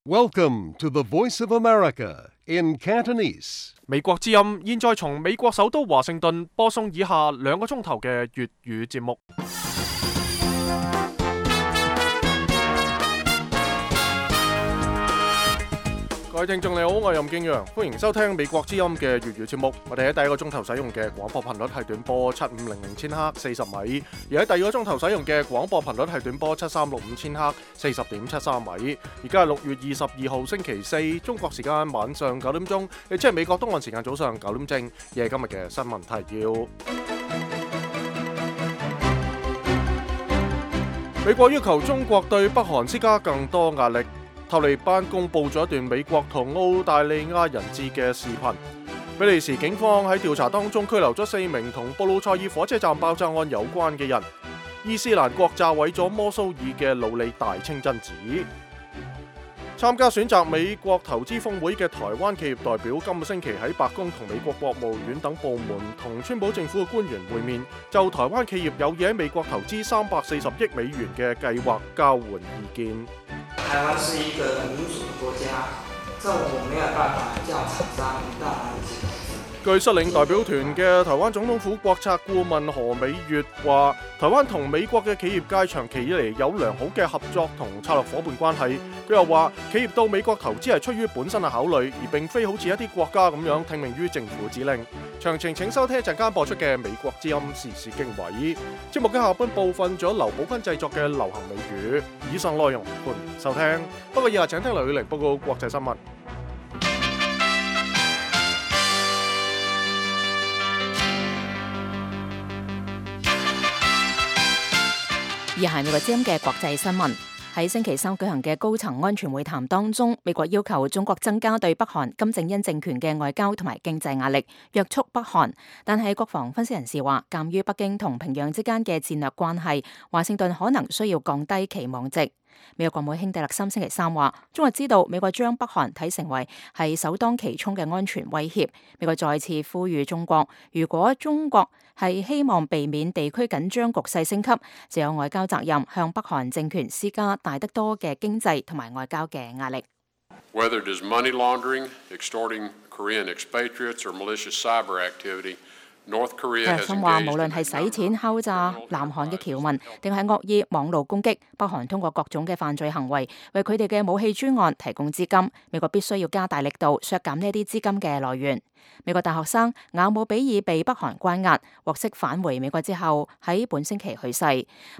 Welcome to the Voice of America in Cantonese. 美國之音現在從美國首都華盛頓播送以下2個鐘頭嘅粵語節目。各位聽眾你好，我係任敬陽，歡迎收聽美國之音嘅粵語節目。我哋喺第一個鐘頭使用嘅廣播頻率係短波7500千赫40米，而喺第二個鐘頭使用嘅廣播頻率係短波7365千赫40.73米。而家係6月22號星期四，中國時間晚上9點鐘，亦即係美國東岸時間早上9點正。而係今日嘅新聞提要。美國要求中國對北韓施加更多壓力。塔利班公佈咗一段美國同澳大利亞人質嘅視頻。比利時警方喺調查當中拘留咗4名同布魯塞爾火車站爆炸案有關嘅人。伊斯蘭國炸毀咗摩蘇爾嘅努里大清真寺。參加選擇美國投資峰會嘅台灣企業代表今個星期喺白宮同美國國務院等部門同川普政府嘅官員會面，就台灣企業有意喺美國投資340億美元嘅計劃交換意見。台灣是一個民主的國家，政府沒有辦法叫廠商到哪裡去投資。據率領代表團嘅台灣總統府國策顧問何美月話，台灣同美國嘅企業界長期以嚟有良好嘅合作同策略夥伴關係。佢又話，企業到美國投資係出於本身嘅考慮，而並非好似一啲國家咁樣聽命於政府指令。詳情請收聽一陣間播出嘅美國之音時事經緯。節目嘅下半部分咗劉寶君製作嘅流行美語。以上內容歡迎收聽。不過以下請聽劉宇玲報告國際新聞。以下係美國之音嘅國際新聞。喺星期三舉行嘅高層安全會談當中，美國要求中國增加對北韓金正恩政權嘅外交同埋經濟壓力，約束北韓。但係國防分析人士話，鑑於北京同平壤之間嘅戰略關係，華盛頓可能需要降低期望值。美國國務卿蒂勒森星期三話，中國知道美國將北韓睇成為係首當其衝嘅安全威脅。美國再次呼籲中國，如果中國係希望避免地區緊張局勢升級，就有外交責任向北韓政權施加大得多嘅經濟同埋外交嘅壓力。Whether it is money laundering, extorting Korean expatriates, or malicious cyber activity.蒂勒森話，無論係洗錢、敲詐南韓嘅僑民，定係惡意網路攻擊，北韓通過各種嘅犯罪行為，為佢哋嘅武器專案提供資金。美國必須要加大力度削減呢啲資金嘅來源。美國大學生雅姆比爾被北韓關押，獲釋返回美國之後，喺本星期去世。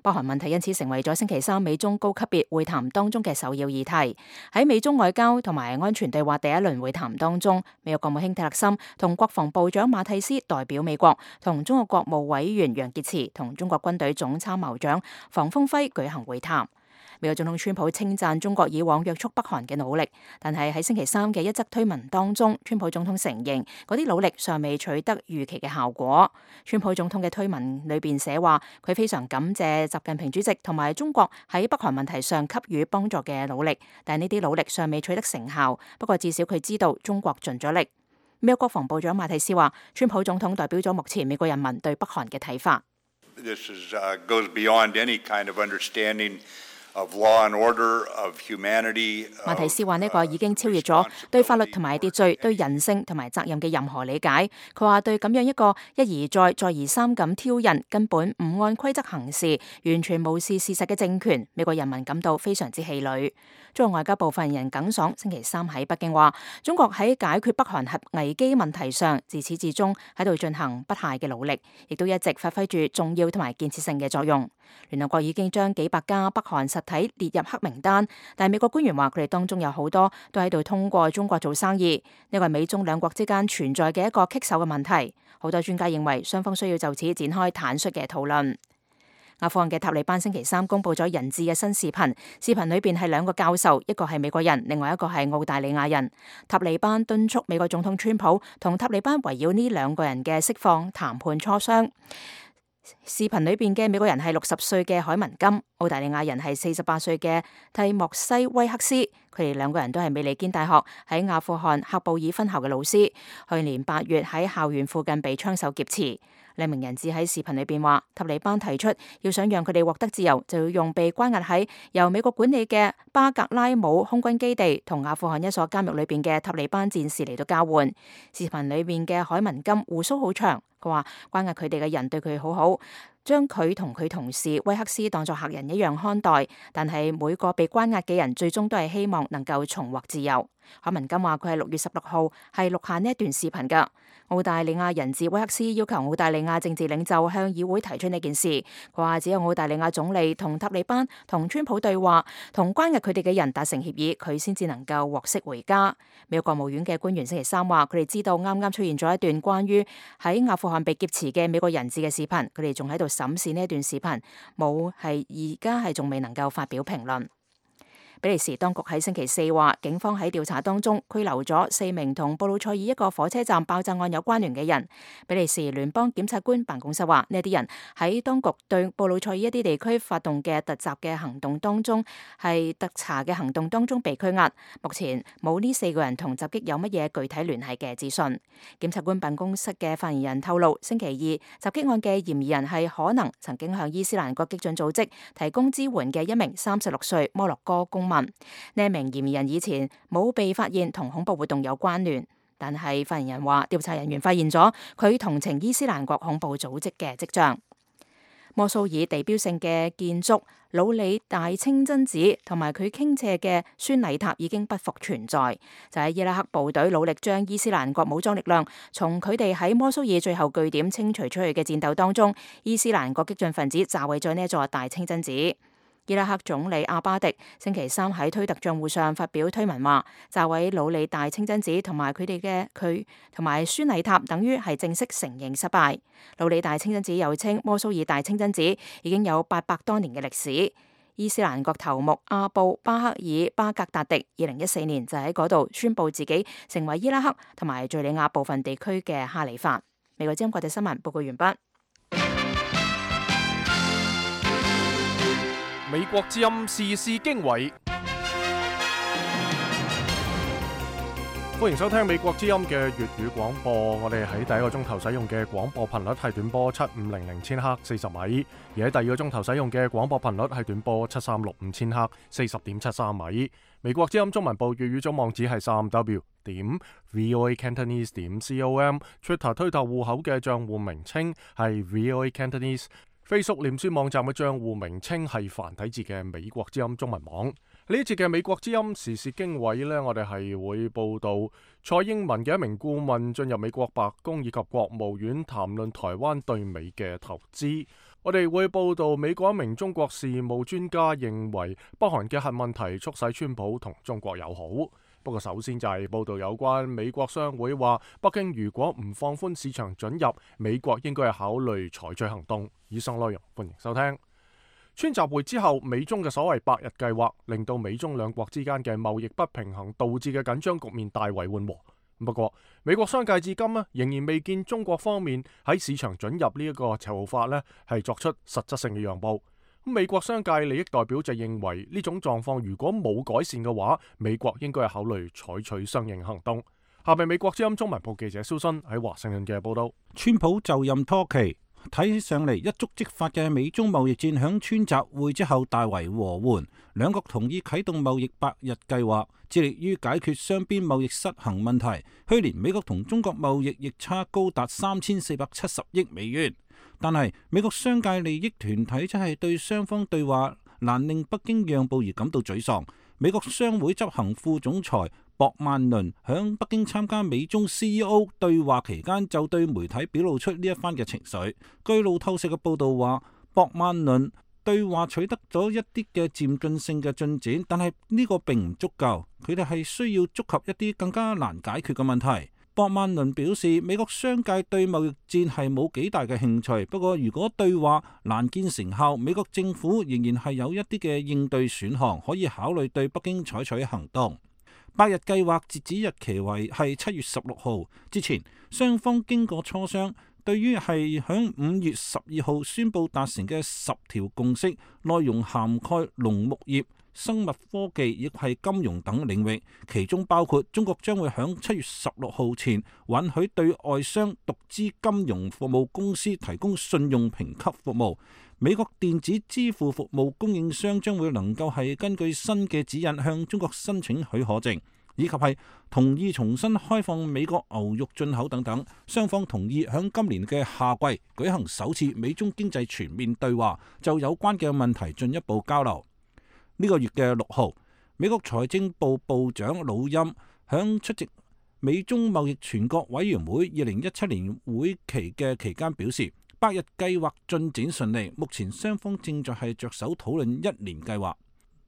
北韓問題因此成為咗星期三美中高級別會談當中嘅首要議題。喺美中外交同埋安全對話第一輪會談當中，美國國務卿蒂勒森同國防部長馬蒂斯代表美國，同中國國務委員楊潔篪同中國軍隊總參謀長房峰輝舉行會談。美國總統川普稱讚中國以往約束北韓嘅努力，但係喺星期三嘅一則推文當中，川普總統承認嗰啲努力尚未取得預期嘅效果。川普總統嘅推文裏邊寫話，佢非常感謝習近平主席同埋中國喺北韓問題上給予幫助嘅努力，但呢啲努力尚未取得成效。不過至少佢知道中國盡咗力。美國國防部長馬蒂斯話，川普總統代表咗目前美國人民對北韓嘅睇法。This goes beyond any kind of understanding of law and order, of humanity. 馬蒂斯話呢個已經超越咗對法律同埋秩序、對人性同埋責任嘅任何理解。佢話對咁樣一個一而再、再而三咁挑釁、根本唔按規則行事、完全無視事實嘅政權，美國人民感到非常之氣餒。中國外交部發言人耿爽星期三喺北京話，中國喺解決北韓核危機問題上，自始至終喺度進行不懈嘅努力，亦都一直發揮住重要同埋建設性嘅作用。聯合國已經將幾百家北韓實體列入黑名單，但係美國官員話佢哋當中有好多都喺度通過中國做生意，呢個係美中兩國之間存在嘅一個棘手嘅問題。好多專家認為雙方需要就此展開坦率嘅討論。阿富汗嘅塔利班星期三公佈咗人質嘅新視頻，視頻裏邊係2個教授，一個係美國人，另外一個係澳大利亞人。塔利班敦促美國總統川普同塔利班圍繞呢2個人嘅釋放談判磋商。視頻裏邊嘅美國人係60歲嘅海文金，澳大利亞人係48歲嘅蒂莫西威克斯。佢哋兩個人都係美利堅大學喺阿富汗喀布爾分校嘅老師，去年8月喺校園附近被槍手劫持。兩名人質喺視頻裏邊話，塔利班提出要想讓佢哋獲得自由，就要用被關押喺由美國管理嘅巴格拉姆空軍基地同阿富汗一所監獄裏邊嘅塔利班戰士嚟到交換。視頻裏邊嘅海文金鬍鬚好長，佢話關押佢哋嘅人對佢好好，將佢同佢同事威克斯當作客人一樣看待，但係每個被關押嘅人最終都係希望能夠重獲自由。海文金話佢係6月16號係錄下呢一段視頻㗎。澳大利亞人質威克斯要求澳大利亞政治領袖向議會提出呢件事，佢話只有澳大利亞總理同塔利班同川普對話，同關押佢哋嘅人達成協議，佢先至能夠獲釋回家。美國國務院嘅官員星期3話，佢哋知道啱啱出現咗一段關於喺阿富汗被劫持嘅美國人質嘅視頻，佢哋仲喺度審視呢一段視頻，而家係仲未能夠發表評論。比利時當局喺星期4話，警方喺調查當中拘留咗4名同布魯塞爾一個火車站爆炸案有關聯嘅人。比利時聯邦檢察官辦公室話，呢啲人喺當局對布魯塞爾一啲地區發動嘅突襲嘅行動當中，係突查嘅行動當中被拘押。目前冇呢4個人同襲擊有乜嘢具體聯繫嘅資訊。檢察官辦公室嘅發言人透露，星期2襲擊案嘅嫌疑人係可能曾經向伊斯蘭國激進組織提供支援嘅一名36歲摩洛哥公民。呢名嫌疑人以前冇被發現同恐怖活動有關聯，但係發言人話，調查人員發現咗佢同情伊斯蘭國恐怖組織嘅跡象。摩蘇爾地標性嘅建築魯里大清真寺同埋佢傾斜嘅宣禮塔已經不復存在，就喺伊拉克部隊努力將伊斯蘭國武裝力量從佢哋喺摩蘇爾最後據點清除出去嘅戰鬥當中，伊斯蘭國激進分子炸毀咗呢一座大清真寺。伊拉克總理阿巴迪星期3喺推特賬戶上發表推文話，炸毀魯里大清真寺同埋同埋宣禮塔等於係正式承認失敗。魯里大清真寺又稱摩蘇爾大清真寺，已經有800多年嘅歷史。伊斯蘭國頭目阿布巴克爾巴格達迪2014年就喺嗰度宣布自己成為伊拉克同埋敘利亞部分地區嘅哈里發。美國之音國際新聞報告完畢。美國之音時事經緯，歡迎收聽美國之音嘅粵語廣播。我哋喺第一個鐘頭使用嘅廣播頻率係短波7500千赫40米，而喺第二個鐘頭使用嘅廣播頻率係短波7365千赫40.73米。美國之音中文部粵語總網址係3w.voacantonese.com，Twitter 推特戶口嘅賬戶名稱係 voacantonese。Facebook 臉書網站嘅賬戶名稱係繁體字嘅美國之音中文網。呢一節嘅美國之音時事經緯呢，我哋係會報道蔡英文嘅一名顧問進入美國白宮以及國務院談論台灣對美嘅投資。我哋會報道美國一名中國事務專家認為北韓嘅核問題促使川普同中國友好。不過首先就係報道有關美國商會話，北京如果唔放寬市場准入，美國應該係考慮採取行動。以上內容歡迎收聽。川習會之後，美中嘅所謂百日計劃，令到美中兩國之間嘅貿易不平衡導致嘅緊張局面大為緩和。不過美國商界至今仍然未見中國方面喺市場准入呢一個籌法係作出實質性嘅讓步。美國商界利益代表就認為呢種狀況如果冇改善嘅話，美國應該係考慮採取相應行動。下面美國之音中文部記者蕭新喺華盛頓嘅報道。川普就任初期，睇起上嚟一觸即發嘅美中貿易戰響川習會之後大為和緩，兩國同意啟動貿易百日計劃，致力於解決雙邊貿易失衡問題。去年美國同中國貿易逆差高達3470億美元。但係美國商界利益團體則係對雙方對話難令北京讓步而感到沮喪。美國商會執行副總裁博曼倫響北京參加美中 CEO 對話期間，就對媒體表露出呢一番嘅情緒。據路透社嘅報道話，博曼倫對話取得咗一啲嘅漸進性嘅進展，但係呢個並唔足夠，佢哋係需要觸及一啲更加難解決嘅問題。博曼倫表示，美國商界對貿易戰係冇幾大嘅興趣，不過如果對話難見成效，美國政府仍然係有一啲嘅應對選項，可以考慮對北京採取行動。百日計劃截止日期為係7月16號之前，雙方經過磋商，對於係響5月12號宣布達成嘅10條共識，內容涵蓋農牧業、生物科技以及係金融等領域，其中包括中國將會響7月16號前允許對外商獨資金融服務公司提供信用評級服務。美國電子支付服務供應商將會能夠係根據新嘅指引向中國申請許可證，以及係同意重新開放美國牛肉進口等等。雙方同意響今年嘅夏季舉行首次美中經濟全面對話，就有關嘅問題進一步交流。呢個月嘅6號，美國財政部部長魯欽響出席美中貿易全國委員會2017年會期嘅期間表示，百日計劃進展順利，目前雙方正在係着手討論1年計劃。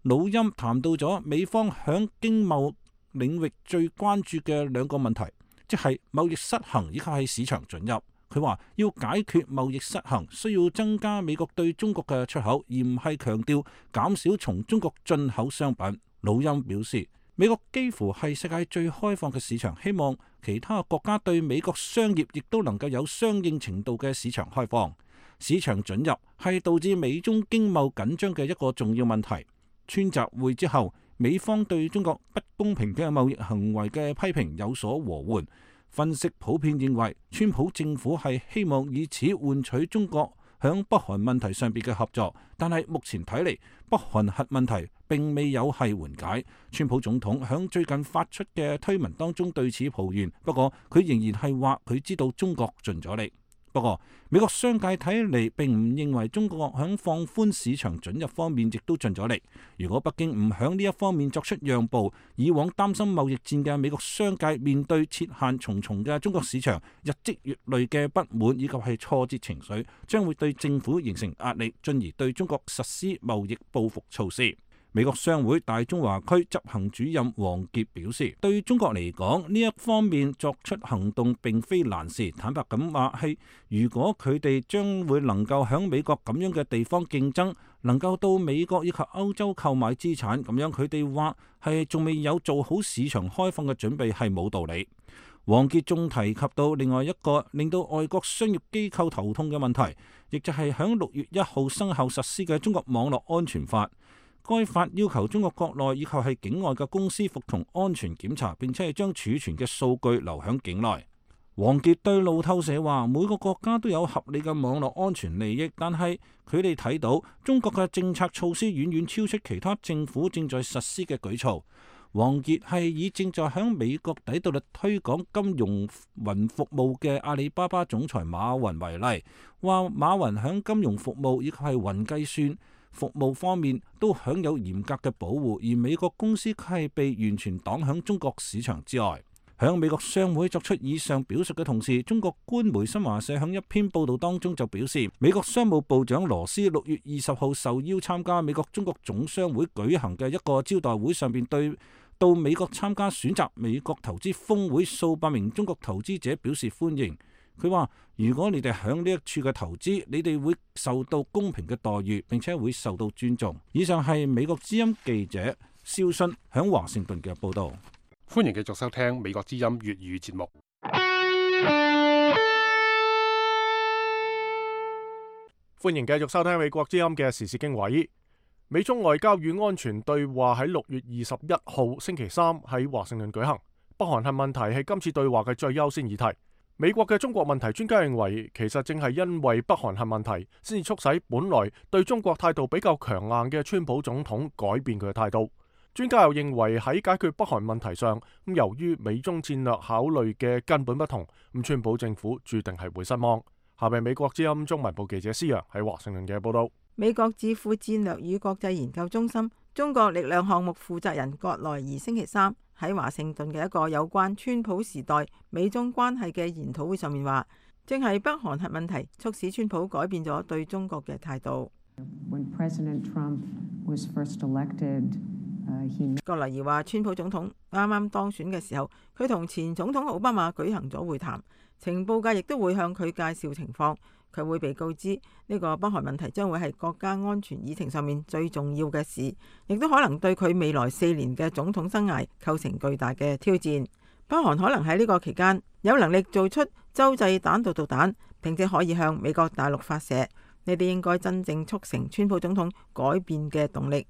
魯欽談到咗美方響經貿領域最關注嘅2個問題，即係貿易失衡以及係市場准入。佢話要解決貿易失衡，需要增加美國對中國嘅出口，而唔係強調減少從中國進口商品。魯欽表示，美國幾乎係世界最開放嘅市場，希望其他國家對美國商業亦都能夠有相應程度嘅市場開放。市場准入係導致美中經貿緊張嘅一個重要問題。川習會之後，美方對中國不公平嘅貿易行為嘅批評有所和緩。分析普遍認為，川普政府係希望以此換取中國響北韓問題上邊嘅合作，但係目前睇嚟，北韓核問題並未有係緩解。川普總統響最近發出嘅推文當中對此抱怨，不過佢仍然係話佢知道中國盡咗力。不過美國商界睇嚟並唔認為中國響放寬市場准入方面亦都盡咗力。如果北京唔響呢一方面作出讓步，以往擔心貿易戰嘅美國商界面對設限重重嘅中國市場，日積月累嘅不滿以及係挫折情緒，將會對政府形成壓力，進而對中國實施貿易報復措施。美國商會大中華區執行主任王傑表示，對中國嚟講，呢一方面作出行動並非難事。坦白咁話係，如果佢哋將會能夠響美國咁樣嘅地方競爭，能夠到美國以及歐洲購買資產，咁樣佢哋話係仲未有做好市場開放嘅準備係冇道理。王傑仲提及到另外一個令到外國商業機構頭痛嘅問題，亦就係響6月1號生效實施嘅中國網絡安全法。該法要求中國國內以及係境外嘅公司服從安全檢查，並且係將儲存嘅數據留響境內。王傑對路透社話，每個國家都有合理嘅網絡安全利益，但係佢哋睇到中國嘅政策措施遠遠超出其他政府正在實施嘅舉措。王傑係以正在響美國底特律推廣金融雲服務嘅阿里巴巴總裁馬雲為例，話馬雲響金融服務以及係雲計算服務方面都享有嚴格嘅保護，而美國公司係被完全擋響中國市場之外。響美國商會作出以上表述嘅同時，中國官媒新華社響一篇報道當中就表示，美國商務部長羅斯6月20號受邀參加美國中國總商會舉行嘅一個招待會上邊，對到美國參加選擇美國投資峰會數百名中國投資者表示歡迎。佢話：如果你哋響呢一處嘅投資，你哋會受到公平嘅待遇，並且會受到尊重。以上係美國之音記者肖迅響華盛頓嘅報導。歡迎繼續收聽美國之音粵語節目。歡迎繼續收聽美國之音嘅時事經緯。美中外交與安全對話喺6月21號星期三喺華盛頓舉行。北韓核問題係今次對話嘅最優先議題。美國嘅中國問題專家認為，其實正係因為北韓核問題，先至促使本來對中國態度比較強硬嘅川普總統改變佢嘅態度。專家又認為喺解決北韓問題上，由於美中戰略考慮嘅根本不同，川普政府注定係會失望。下面美國之音中文部記者施洋喺華盛頓嘅報道。美國智庫戰略與國際研究中心中國力量項目負責人葛萊儀星期三喺華盛頓嘅一個有關川普時代美中關係嘅研討會上面話，正係北韓核問題促使川普改變咗對中國嘅態度。葛萊儀話，川普總統啱啱當選嘅時候，佢同前總統奧巴馬舉行咗會談，情報界亦都會向佢介紹情況。佢會被告知呢個北韓問題將會係國家安全議程上面最重要嘅事，亦都可能對佢未來4年嘅總統生涯構成巨大嘅挑戰。北韓可能喺呢個期間有能力做出洲際彈道導彈，並且可以向美國大陸發射。呢啲應該真正促成川普總統改變嘅動力。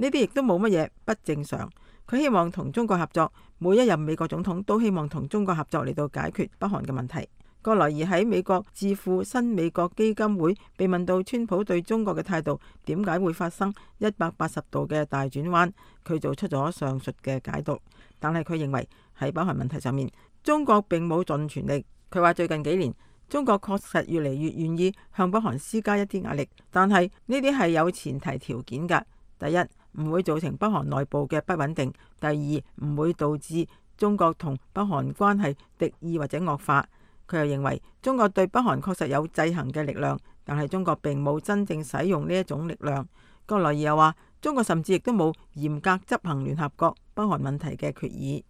呢啲亦都冇乜嘢不正常。佢希望同中國合作，每一任美國總統都希望同中國合作嚟到解決北韓嘅問題。葛萊儀喺美國智庫新美國基金會被問到川普對中國嘅態度點解會發生180度嘅大轉彎，佢做出咗上述嘅解讀。但係佢認為喺北韓問題上面，中國並冇盡全力。佢話最近幾年，中國確實越嚟越願意向北韓施加一啲壓力，但係呢啲係有前提條件㗎。第一，唔會造成北韓內部嘅不穩定；第二，唔會導致中國同北韓關係敵意或者惡化。佢又認為中國對北韓確實有制衡嘅力量，但係中國並冇真正使用呢一種力量。葛萊儀又話，中國甚至亦都冇嚴格執行聯合國北韓問題嘅決議。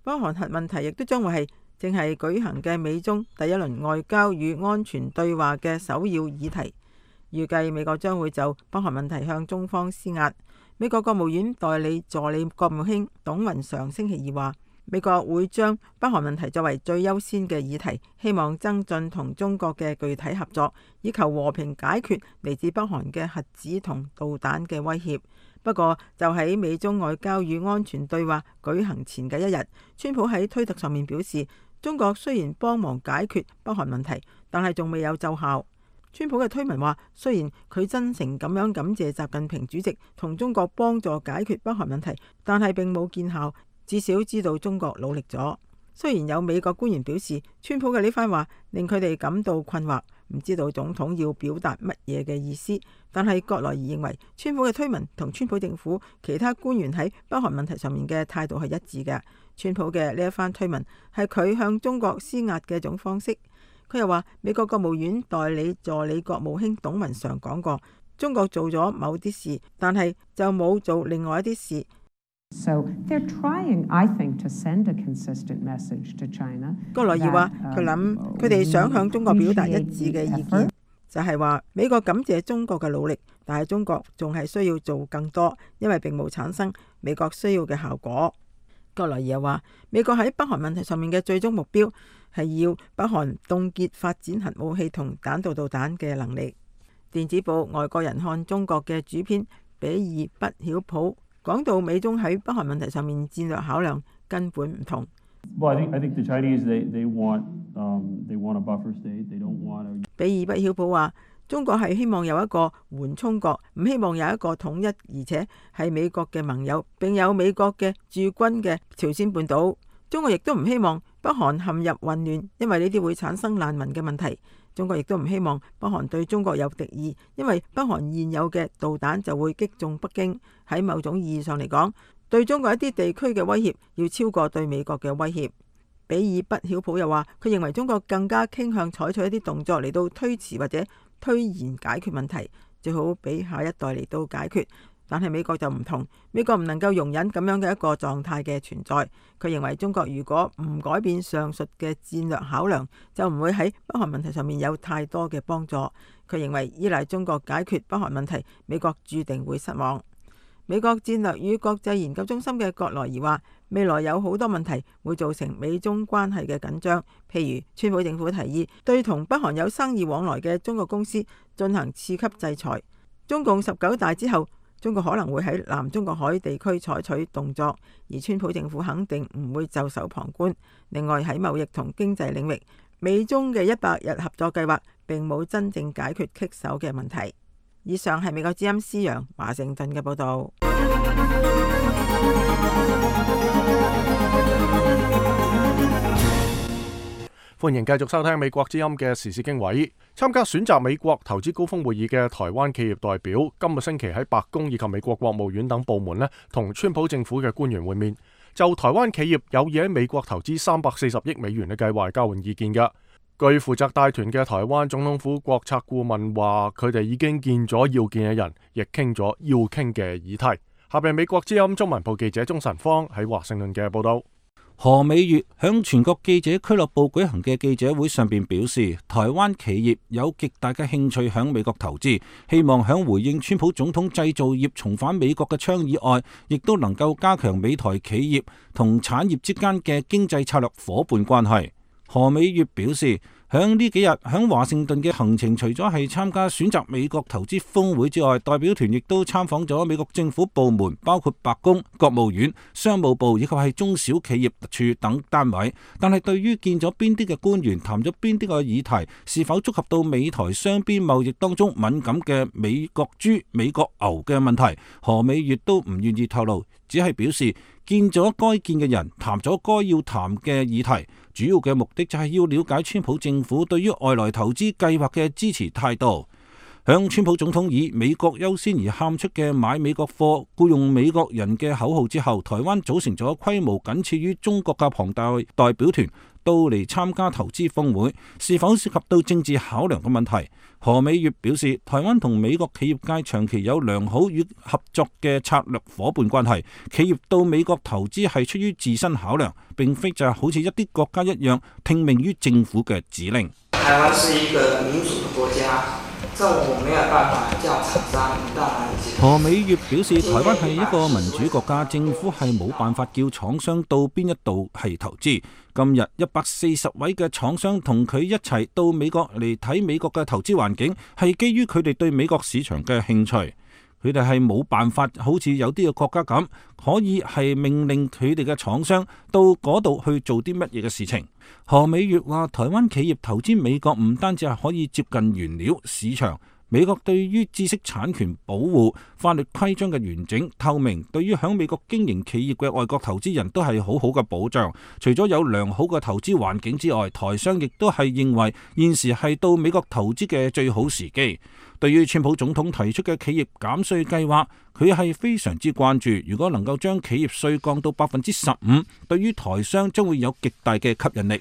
北韓核問題亦都將會係正係舉行嘅美中第一輪外交與安全對話嘅首要議題。預計美國將會就北韓問題向中方施壓。美國國務院代理助理國務卿董雲常星期二話，美國會將北韓問題作為最優先嘅議題，希望增進同中國嘅具體合作，以求和平解決嚟自北韓嘅核子同導彈嘅威脅。不過，就喺美中外交與安全對話舉行前嘅一日，川普喺推特上面表示，中國雖然幫忙解決北韓問題，但係仲未有奏效。川普嘅推文話，雖然佢真誠咁樣感謝習近平主席同中國幫助解決北韓問題，但係並冇見效。至少知道中國努力咗。雖然有美國官員表示，川普嘅呢番話令佢哋感到困惑，唔知道總統要表達乜嘢嘅意思，但係葛萊儀認為川普嘅推文同川普政府其他官員喺北韓問題上面嘅態度係一致嘅。川普嘅呢一番推文係佢向中國施壓嘅一種方式。佢又話，美國國務院代理助理國務卿董雲常講過，中國做咗某啲事，但係就冇做另外一啲事。So they're trying, I think, to send a consistent message to China. 葛萊儀話，佢諗佢哋想向中國表達一致嘅意見，就係話美國感謝中國嘅努力，但係中國仲係需要做更多，因為並冇產生美國需要嘅效果。葛萊儀又話，美國喺北韓問題上面嘅最終目標係要北韓凍結發展核武器同彈道導彈嘅能力。電子報《外國人看中國》嘅主編比爾不曉普講到，美中喺北韓問題上面戰略考量根本唔同。比爾不曉普話，中國係希望有一個緩衝國，唔希望有一個統一，而且係美國嘅盟友，並有美國嘅駐軍嘅朝鮮半島。中國亦都唔希望北韓陷入混亂，因為呢啲會產生難民嘅問題。中國亦都唔希望北韓對中國有敵意，因為北韓現有嘅導彈就會擊中北京。喺某種意義上嚟講，對中國一啲地區嘅威脅要超過對美國嘅威脅。比爾不曉普又話，佢認為中國更加傾向採取一啲動作嚟到推遲或者推延解決問題，最好俾下一代嚟到解決。但係美國就唔同，美國唔能夠容忍咁樣嘅一個狀態嘅存在。佢認為中國如果唔改變上述嘅戰略考量，就唔會喺北韓問題上面有太多嘅幫助。佢認為依賴中國解決北韓問題，美國注定會失望。美國戰略與國際研究中心嘅葛萊儀話，未來有好多問題會造成美中關係嘅緊張，譬如川普政府提議對同北韓有生意往來嘅中國公司進行次級制裁。中共19大之後，中國可能會喺南中國海地區採取動作，而川普政府肯定唔會袖手旁觀。另外喺貿易同經濟領域，美中嘅100日合作計劃並冇真正解決棘手嘅問題。以上係美國之音施陽華盛頓嘅報導。歡迎繼續收聽美國之音嘅時事經緯。參加選擇美國投資高峰會議嘅台灣企業代表，今個星期喺白宮以及美國國務院等部門同川普政府嘅官員會面，就台灣企業有意喺美國投資340億美元嘅計劃交換意見㗎。據負責帶團嘅台灣總統府國策顧問話，佢哋已經見咗要見嘅人，亦傾咗要傾嘅議題。下邊美國之音中文部記者鍾晨芳喺華盛頓嘅報道。何美月響全國記者俱樂部舉行嘅記者會上邊表示，台灣企業有極大嘅興趣響美國投資，希望響回應川普總統製造業重返美國嘅倡議外，亦都能夠加強美台企業同產業之間嘅經濟策略夥伴關係。何美月表示，響呢幾日響華盛頓嘅行程，除咗係參加選擇美國投資峰會之外，代表團亦都參訪咗美國政府部門，包括白宮、國務院、商務部以及係中小企業處等單位。但係對於見咗邊啲嘅官員，談咗邊啲嘅議題，是否觸及到美台雙邊貿易當中敏感嘅美國豬、美國牛嘅問題，何美月都唔願意透露，只係表示見咗該見嘅人，談咗該要談嘅議題，主要嘅目的就係要了解川普政府對於外來投資計劃嘅支持態度。響川普總統以美國優先而喊出嘅買美國貨、僱用美國人嘅口號之後，台灣組成咗規模僅次於中國嘅龐大代表團到嚟參加投資峰會，是否涉及到政治考量嘅問題？何美月表示，台灣同美國企業界長期有良好與合作嘅策略夥伴關係，企業到美國投資係出於自身考量，並非就係好似一啲國家一樣聽命於政府嘅指令。台灣是一個民主嘅國家，政府沒有辦法叫廠商到哪裡去。何美月表示，台灣係一個民主國家，政府係冇辦法叫廠商到邊一度係投資。今日140位嘅廠商同佢一齊到美國嚟睇美國嘅投資環境，係基於佢哋對美國市場嘅興趣。佢哋係冇辦法好似有啲嘅國家咁，可以係命令佢哋嘅廠商到嗰度去做啲乜嘢嘅事情。何美月話，台灣企業投資美國唔單止係可以接近原料市場，美國對於知識產權保護、法律規章嘅完整透明，對於響美國經營企業嘅外國投資人都係好好嘅保障。除咗有良好嘅投資環境之外，台商亦都係認為現時係到美國投資嘅最好時機。對於川普總統提出嘅企業減稅計劃，佢係非常之關注。如果能夠將企業稅降到15%，對於台商將會有極大嘅吸引力。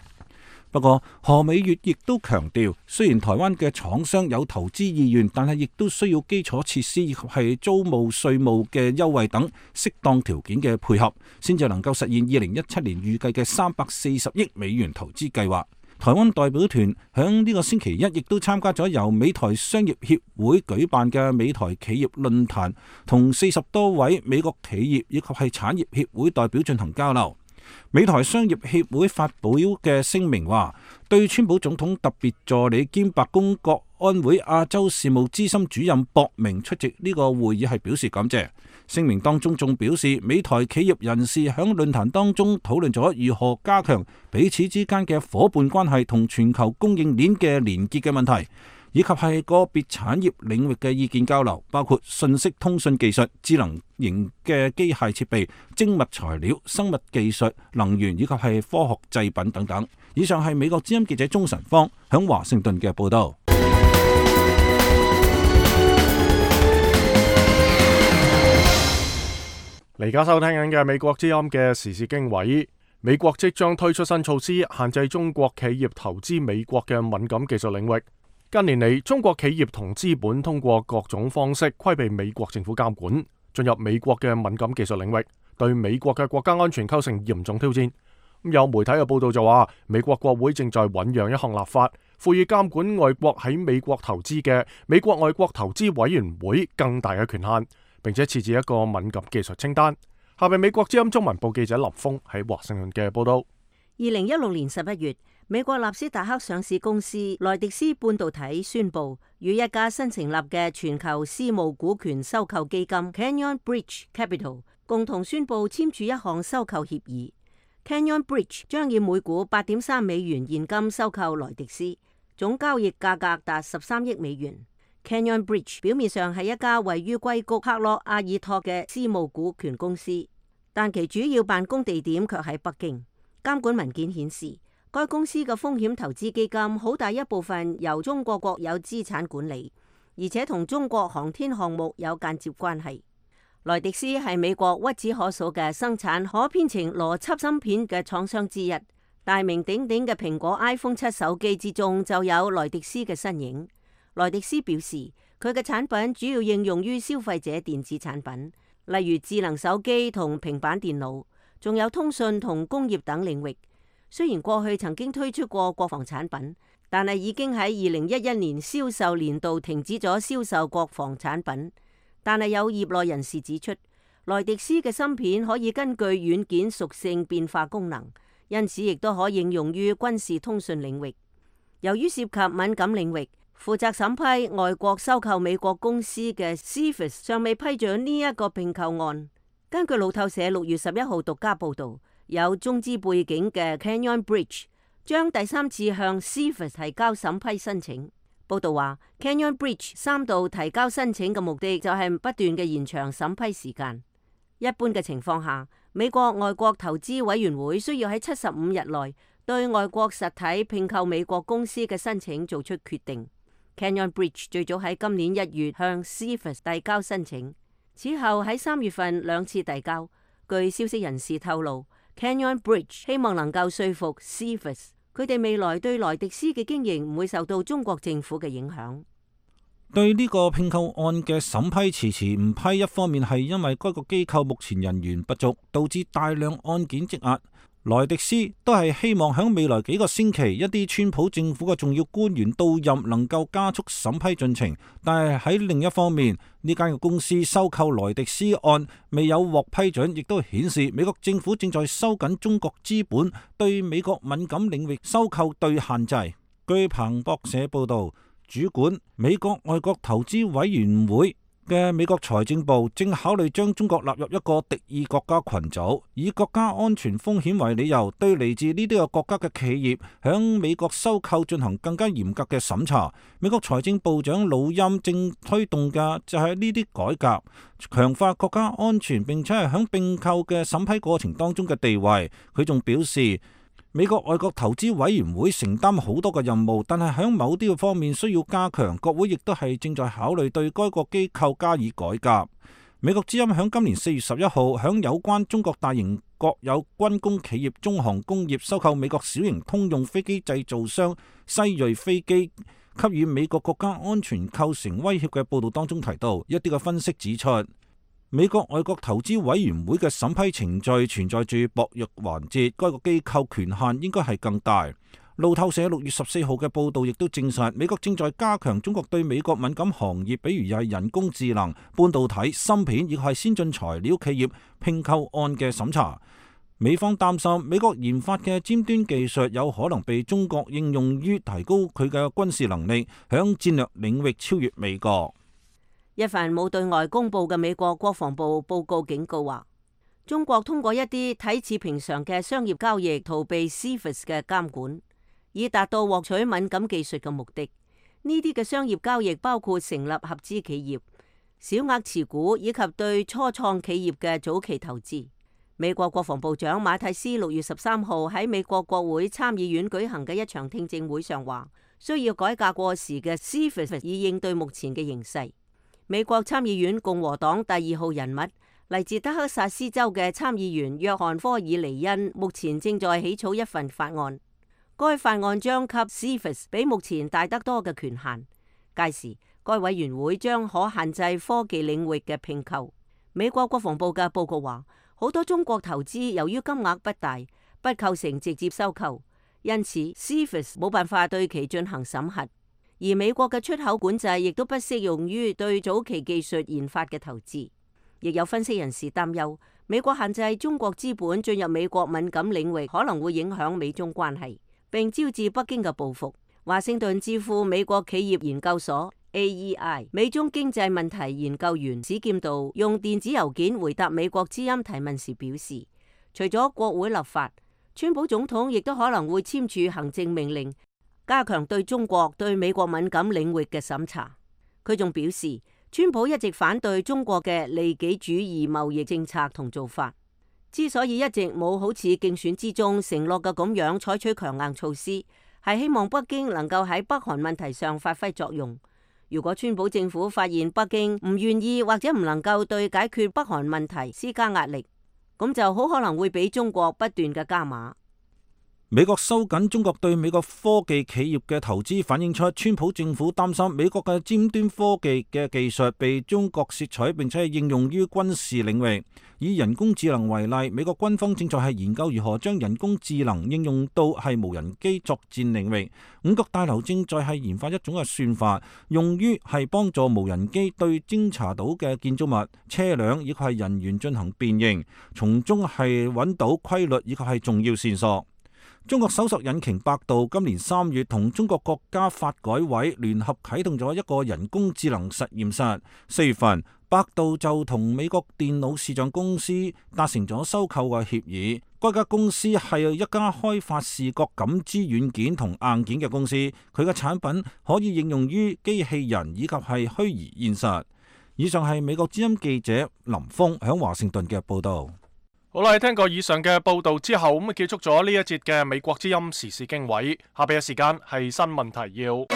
不過何美月亦都強調，雖然台灣嘅廠商有投資意願，但係亦都需要基礎設施以及係租務、稅務嘅優惠等適當條件嘅配合，先至能夠實現2017年預計嘅340億美元投資計劃。台灣代表團響呢個星期一亦都參加咗由美台商業協會舉辦嘅美台企業論壇，同40多位美國企業以及係產業協會代表進行交流。美台商業協會發表嘅聲明話，對川普總統特別助理兼白宮國安會亞洲事務資深主任博明出席呢個會議係表示感謝。聲明當中仲表示，美台企業人士響論壇當中討論咗如何加強彼此之間嘅夥伴關係同全球供應鏈嘅連結嘅問題，以及係個別產業領域嘅意見交流，包括信息通訊技術、智能型嘅機械設備、精密材料、生物技術、能源以及係科學製品等等。以上係美國之音記者鍾晨芳響華盛頓嘅報道。而家收聽緊嘅美國之音嘅時事經緯，美國即將推出新措施，限制中國企業投資美國嘅敏感技術領域。近年嚟，中國企業同資本通過各種方式規避美國政府監管，進入美國嘅敏感技術領域，對美國嘅國家安全構成嚴重挑戰。有媒體嘅報道就話，美國國會正在醞釀一項立法，賦予監管外國喺美國投資嘅美國外國投資委員會更大嘅權限，並且設置一個敏感技術清單。下面美國之音中文部記者林峰喺華盛頓嘅報道。2016年11月，美國納斯達克上市公司萊迪斯半導體宣布與一家新成立嘅全球私募股權收購基金 Canyon Bridge Capital 共同宣布簽署一項收購協議。Canyon Bridge 將以每股8.3美元現金收購萊迪斯，總交易價格達13億美元。Canyon Bridge 表面上係一家位於硅谷克洛阿爾托嘅私募股權公司，但其主要辦公地點卻喺北京。監管文件顯示，該公司嘅風險投資基金好大一部分由中國國有資產管理，而且同中國航天項目有間接關係。萊迪斯係美國屈指可數嘅生產可編程邏輯芯片嘅廠商之一，大名鼎鼎嘅蘋果 iPhone 7手機之中就有萊迪斯嘅身影。萊迪斯表示，佢嘅產品主要應用於消費者電子產品，例如智能手機同平板電腦，仲有通訊同工業等領域。雖然過去曾經推出過國防產品，但係已經喺2011年銷售年度停止咗銷售國防產品。但係有業內人士指出，萊迪斯嘅芯片可以根據軟件屬性變化功能，因此亦都可應用於軍事通訊領域。由於涉及敏感領域，負責審批外國收購美國公司嘅 CFIUS 尚未批准呢一個併購案。根據路透社6月11號獨家報導，有中資背景嘅 Canyon Bridge 將第3次向 CFIUS 提交審批申請。報導話 Canyon Bridge 3度提交申請嘅目的就係不斷嘅延長審批時間。一般嘅情況下，美國外國投資委員會需要喺75日內對外國實體併購美國公司嘅申請做出決定。Canyon Bridge 最早喺今年1月向 CFIUS 遞交申請，此後喺3月份2次遞交。據消息人士透露， Canyon Bridge 希望能夠說服 CFIUS， 佢哋未來對萊迪斯嘅經營唔會受到中國政府嘅影響。對呢個併購案嘅審批遲遲唔批，一方面係因為該個機構目前人員不足，導致大量案件積壓。萊迪斯都係希望喺未來幾個星期，一啲川普政府嘅重要官員到任，能夠加速審批進程。但係喺另一方面，呢間公司收購萊迪斯案未有獲批准，亦都顯示美國政府正在收緊中國資本對美國敏感領域收購對限制。據彭博社報道，主管美國外國投資委員會嘅美國財政部正考慮將中國納入一個敵意國家群組，以國家安全風險為理由，對嚟自呢啲個國家嘅企業響美國收購進行更加嚴格嘅審查。美國財政部長魯欽正推動嘅就係呢啲改革，強化國家安全，並且係響併購嘅審批過程當中嘅地位。佢仲表示，美國外國投資委員會承擔好多嘅任務，但係喺某啲嘅方面需要加強。國會亦都係正在考慮對該個機構加以改革。美國之音喺今年4月11號喺有關中國大型國有軍工企業中航工業收購美國小型通用飛機製造商西瑞飛機，給予美國國家安全構成威脅嘅報道當中提到，一啲嘅分析指出，美國外國投資委員會嘅審批程序存在住薄弱環節，該個機構權限應該係更大。路透社6月14號嘅報道亦都證實，美國正在加強中國對美國敏感行業，比如係人工智能、半導體、芯片，亦係先進材料企業併購案嘅審查。美方擔心美國研發嘅尖端技術有可能被中國應用於提高佢嘅軍事能力，響戰略領域超越美國。一份冇對外公佈嘅美國國防部報告警告話，中國通過一啲睇似平常嘅商業交易逃避 CFIUS 嘅監管，以達到獲取敏感技術嘅目的。呢啲嘅商業交易包括成立合資企業、小額持股以及對初創企業嘅早期投資。美國國防部長馬蒂斯6月13號喺美國國會參議院舉行嘅一場聽證會上話，需要改革過時嘅 CFIUS 以應對目前嘅形勢。美國參議院共和黨第2號人物嚟自德克薩斯州嘅參議員約翰科爾尼恩，目前正在起草一份法案。該法案將給 CFIUS 比目前大得多嘅權限，屆時該委員會將可限制科技領域嘅併購。美國國防部嘅報告話，好多中國投資由於金額不大，不構成直接收購，因此 CFIUS 冇辦法對其進行審核。而美國嘅出口管制亦都不適用於對早期技術研發嘅投資。亦有分析人士擔憂，美國限制中國資本進入美國敏感領域，可能會影響美中關係，並招致北京嘅報復。華盛頓智庫美國企業研究所 AEI 美中經濟問題研究員史劍道用電子郵件回答美國之音提問時表示，除咗國會立法，川普總統亦都可能會簽署行政命令，加強對中國對美國敏感領域嘅審查。佢仲表示，川普一直反對中國嘅利己主義貿易政策同做法，之所以一直冇好似競選之中承諾嘅咁樣採取強硬措施，係希望北京能夠喺北韓問題上發揮作用。如果川普政府發現北京唔願意或者唔能夠對解決北韓問題施加壓力，咁就好可能會俾中國不斷嘅加碼。美國收緊中國對美國科技企業嘅投資，反映出川普政府擔心美國嘅尖端科技嘅技術被中國竊取，並且係應用於軍事領域。以人工智能為例，美國軍方正在係研究如何將人工智能應用到係無人機作戰領域。五角大樓正在係研發一種嘅算法，用於係幫助無人機對偵查到嘅建築物、車輛以及係人員進行辨認，從中係揾到規律以及係重要線索。中國搜索引擎百度今年3月同中國國家發改委聯合啟動咗一個人工智能實驗室。4月份，百度就同美國電腦視像公司達成咗收購嘅協議。該家公司係一家開發視覺感知軟件同硬件嘅公司，佢嘅產品可以應用於機器人以及係虛擬現實。以上係美國之音記者林峰響華盛頓嘅報道。好啦，聽過以上嘅報道之後，咁結束咗呢一節嘅美國之音時事經緯。下邊嘅時間係新聞提要。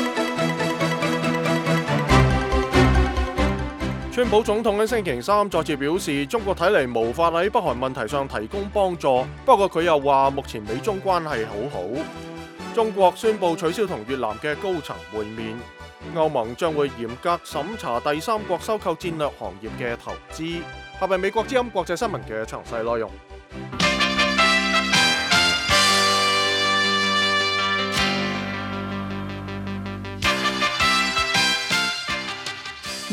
川普總統喺星期三再次表示，中國睇嚟無法喺北韓問題上提供幫助。不過佢又話，目前美中關係好好。中國宣布取消同越南嘅高層會面。歐盟將會嚴格審查第三國收購戰略行業嘅投資。下邊美國之音國際新聞嘅詳細內容。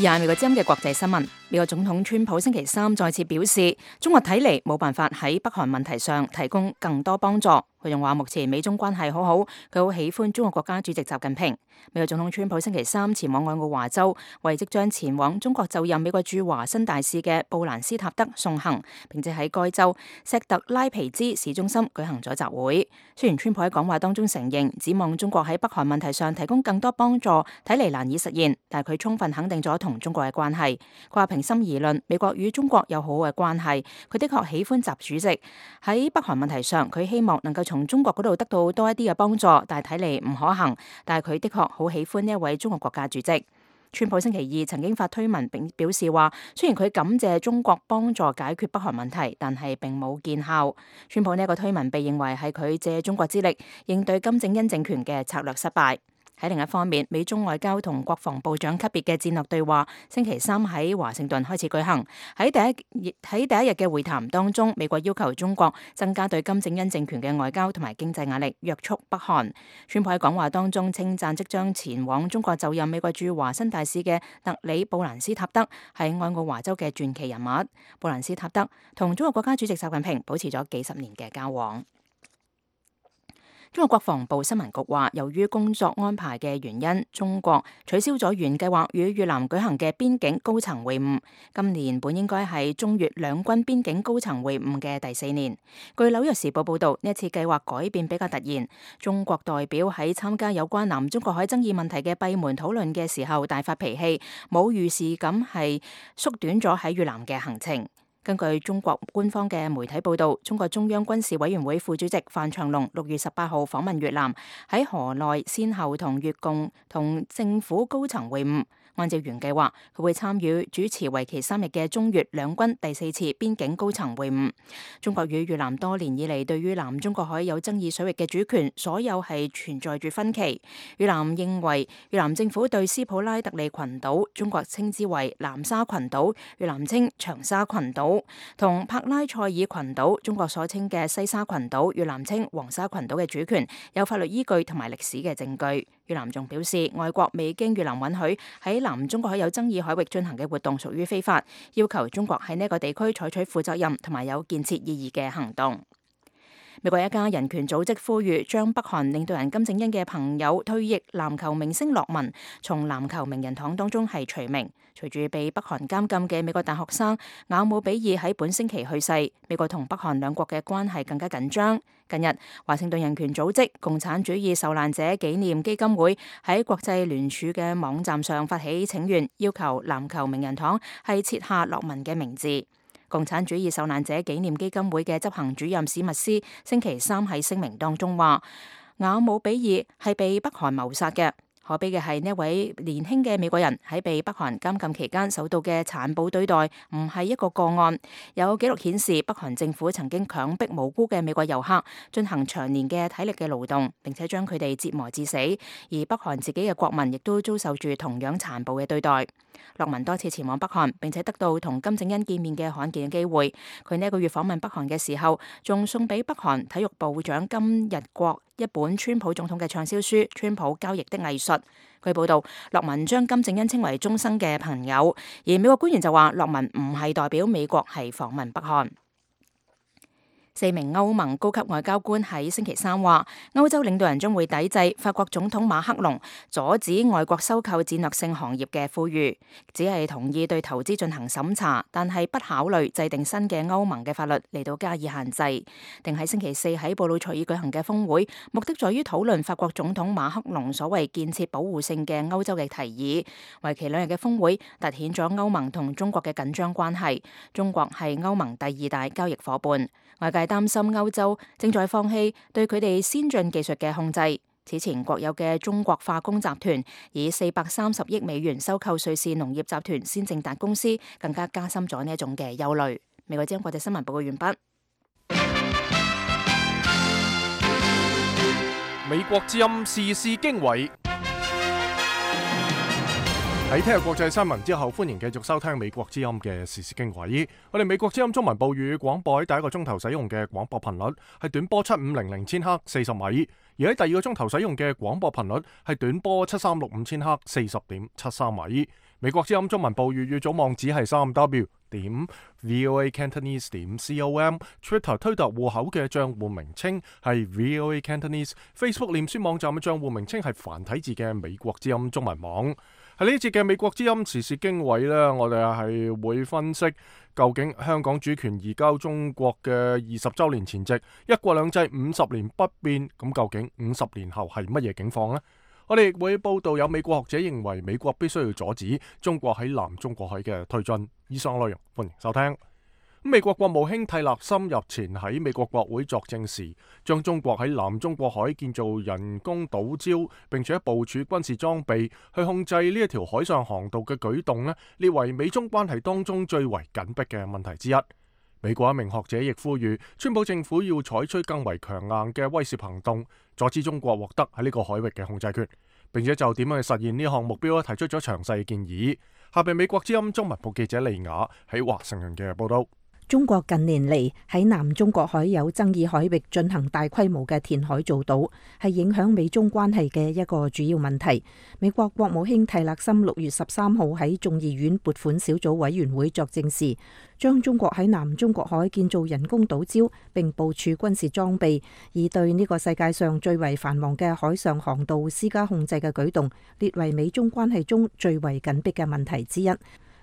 而係美國之音嘅國際新聞。美國總統川普星期三再次表示，中國睇嚟冇辦法喺北韓問題上提供更多幫助。佢仲話目前美中關係好好，佢好喜歡中國國家主席習近平。美國總統川普星期三前往愛奧華州，為即將前往中國就任美國駐華新大使嘅布蘭斯塔德送行，並且喺該州錫特拉皮茲市中心舉行咗集會。雖然川普喺講話當中承認，指望中國喺北韓問題上提供更多幫助，睇嚟難以實現，但係佢充分肯定咗同中國嘅關係。佢話平心而論，美國與中國有好好嘅關係。佢的確喜歡習主席喺北韓問題上，佢希望能夠從中國嗰度得到多一啲嘅幫助，但係睇嚟唔可行。但係佢的確好喜歡呢一位中國國家主席。川普星期二曾經發推文並表示話，雖然佢感謝中國幫助解決北韓問題，但係並冇見效。川普呢一個推文被認為係佢借中國之力應對金正恩政權嘅策略失敗。喺另一方面，美中外交同國防部長級別嘅戰略對話星期三喺華盛頓開始舉行。喺第一日嘅會談當中，美國要求中國增加對金正恩政權嘅外交同埋經濟壓力，約束北韓。川普喺講話當中稱讚即將前往中國就任美國駐華新大使嘅特里布蘭斯塔德係愛奧華州嘅傳奇人物。布蘭斯塔德同中國國家主席習近平保持咗幾十年嘅交往。中國國防部新聞局話，由於工作安排嘅原因，中國取消咗原計劃與越南舉行嘅邊境高層會晤。今年本應該係中越兩軍邊境高層會晤嘅第4年。據紐約時報報道，呢一次計劃改變比較突然。中國代表喺參加有關南中國海爭議問題嘅閉門討論嘅時候大發脾氣，冇預示咁係縮短咗喺越南嘅行程。根據中國官方嘅媒體報道，中國中央軍事委員會副主席范長龍6月18號訪問越南，喺河內先後同越共同政府高層會晤。按照原計劃，佢會參與主持為期3日嘅中越兩軍第4次邊境高層會晤。中國與越南多年以嚟對於南中國海有爭議水域嘅主權，所有係存在住分歧。越南認為越南政府對斯普拉特利群島，中國稱之為南沙群島，越南稱長沙群島，同柏拉塞爾群島，中國所稱嘅西沙群島，越南稱黃沙群島嘅主權有法律依據同埋歷史嘅證據。越南仲表示，外國未經越南允許喺南中國海有爭議海域進行嘅活動屬於非法，要求中國喺呢個地區採取負責任同埋有建設意義嘅行動。美國一家人權組織呼籲將北韓領導人金正恩嘅朋友退役籃球明星洛文從籃球名人堂當中係除名。隨住被北韓監禁嘅美國大學生雅姆比爾喺本星期去世，美國同北韓兩國嘅關係更加緊張。近日，華盛頓人權組織共產主義受難者紀念基金會喺國際聯署嘅網站上發起請願，要求籃球名人堂係設下洛文嘅名字。共產主義受難者紀念基金會嘅執行主任史密斯星期三喺聲明當中話，雅姆比爾係被北韓謀殺嘅。可悲嘅係呢位年輕嘅美國人喺被北韓監禁期間受到嘅殘暴對待，唔係一個個案。有記錄顯示，北韓政府曾經強迫無辜嘅美國遊客進行長年嘅體力嘅勞動，並且將佢哋折磨致死。而北韓自己嘅國民亦都遭受住同樣殘暴嘅對待。洛文多次前往北韓，並且得到同金正恩見面嘅罕見嘅機會。佢呢一個月訪問北韓嘅時候，仲送俾北韓體育部長金日國一本川普總統嘅暢銷書《川普交易的藝術》。據報道，洛文將金正恩稱為終生嘅朋友，而美國官員就話洛文唔係代表美國係訪問北韓。4名歐盟高級外交官喺星期三話，歐洲領導人將會抵制法國總統馬克龍阻止外國收購戰略性行業嘅呼籲，只係同意對投資進行審查，但係不考慮制定新嘅歐盟嘅法律嚟到加以限制。定喺星期四喺布魯塞爾舉行嘅峰會，目的在於討論法國總統馬克龍所謂建設保護性嘅歐洲嘅提議。為期2日嘅峰會凸顯咗歐盟同中國嘅緊張關係。中國係歐盟第2大交易夥伴。外界擔心歐洲正在放棄對佢哋先進技術嘅控制。此前國有嘅中國化工集團以430億美元收購瑞士農業集團先正達公司，更加加深咗呢一種嘅憂慮。美國之音國際新聞報告完畢。美國之音時事經緯。喺聽日國際新聞之後，歡迎繼續收聽美國之音嘅時事經緯。我哋美國之音中文部粵語廣播喺第一個鐘頭使用嘅廣播頻率係短波7500千赫40米，而喺第二個鐘頭使用嘅廣播頻率係短波7365千赫40.73米。美國之音中文部粵語總網址係3w.voacantonese.com，Twitter 推特戶口嘅賬戶名稱係 VOA Cantonese，Facebook 臉書網站嘅賬戶名稱係繁體字嘅美國之音中文網。喺呢一節嘅美國之音時事經緯呢，我哋係會分析究竟香港主權移交中國嘅20週年前夕，一國兩制50年不變，咁究竟50年後係乜嘢境況呢？我哋亦會報道有美國學者認為美國必須要阻止中國喺南中國海嘅推進。以上內容歡迎收聽。美國國務卿蒂勒森日前喺美國國會作證時，將中國喺南中國海建造人工島礁，並且部署軍事裝備去控制呢一條海上航道嘅舉動呢，列為美中關係當中最為緊迫嘅問題之一。美國一名學者亦呼籲川普政府要採取更為強硬嘅威懾行動，阻止中國獲得喺呢個海域嘅控制權，並且就點樣去實現呢項目標提出咗詳細嘅建議。下邊美國之音中文部記者利雅喺華盛頓嘅報道。中國近年嚟喺南中國海有爭議海域進行大規模嘅填海造島，係影響美中關係嘅一個主要問題。美國國務卿蒂勒森6月13號喺眾議院撥款小組委員會作證時，將中國喺南中國海建造人工島礁並部署軍事裝備，以對呢個世界上最為繁忙嘅海上航道施加控制嘅舉動，列為美中關係中最為緊迫嘅問題之一。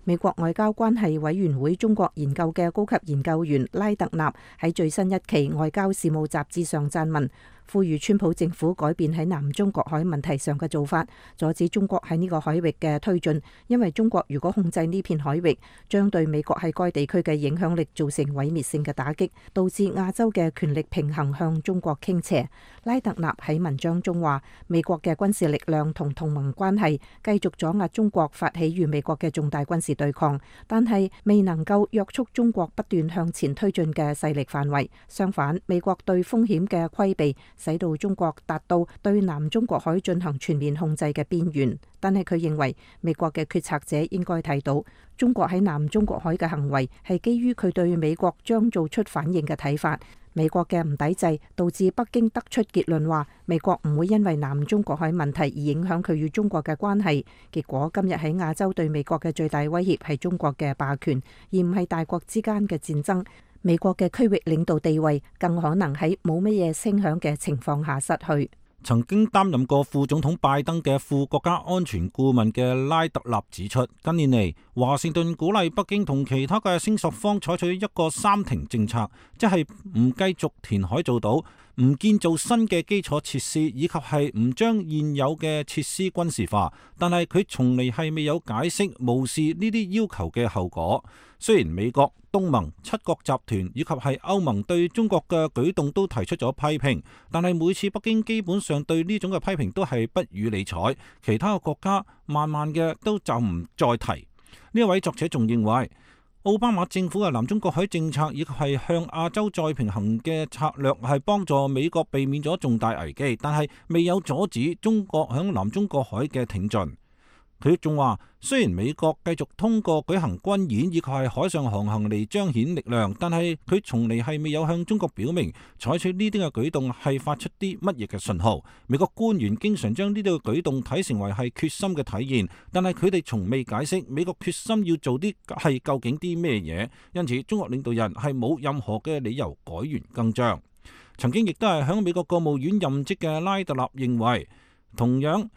美國外交關係委員會中國研究嘅高級研究員拉特納喺最新一期外交事務雜誌上撰文，呼籲川普政府改變喺南中國海問題上嘅做法，阻止中國喺呢個海域嘅推進，因為中國如果控制呢片海域，將對美國喺該地區嘅影響力造成毀滅性嘅打擊，導致亞洲嘅權力平衡向中國傾斜。拉特納喺文章中話，美國嘅軍事力量同同盟關係繼續阻壓中國發起與美國嘅重大軍事對抗，但係未能夠約束中國不斷向前推進嘅勢力範圍。相反，美國對風險嘅規避使到中國達到對南中國海進行全面控制嘅邊緣，但係佢認為美國嘅決策者應該睇到中國喺南中國海嘅行為係基於佢對美國將做出反應嘅睇法。美國嘅唔抵制導致北京得出結論話，美國唔會因為南中國海問題而影響佢與中國嘅關係。結果今日喺亞洲對美國嘅最大威脅係中國嘅霸權，而唔係大國之間嘅戰爭。美國嘅區域領導地位更可能喺冇乜嘢聲響嘅情況下失去。曾經擔任過副總統拜登嘅副國家安全顧問嘅拉特納指出，近年嚟華盛頓鼓勵北京同其他嘅聲索方採取一個三停政策，即係唔繼續填海造島，唔建造新嘅基礎設施，以及係唔將現有嘅設施軍事化。但係佢從嚟係未有解釋無視呢啲要求嘅後果。雖然美國、東盟、七國集團以及係歐盟對中國嘅舉動都提出咗批評，但係每次北京基本上對呢種嘅批評都係不予理睬，其他嘅國家慢慢嘅都就唔再提。呢一位作者仲認為，奧巴馬政府嘅南中國海政策以及係向亞洲再平衡嘅策略係幫助美國避免咗重大危機，但係未有阻止中國響南中國海嘅挺進。佢仲話，雖然美國繼續通過舉行軍演以及係海上航行嚟彰顯力量，但係佢從嚟係未有向中國表明採取呢啲嘅舉動係發出啲乜嘢嘅信號。美國官員經常將呢啲嘅舉動睇成為係決心嘅體現，但係佢哋從未解釋美國決心要做啲係究竟啲咩嘢。因此，中國領導人係冇任何嘅理由改弦更張。曾經亦都係響美國國務院任職嘅拉特納認為，同樣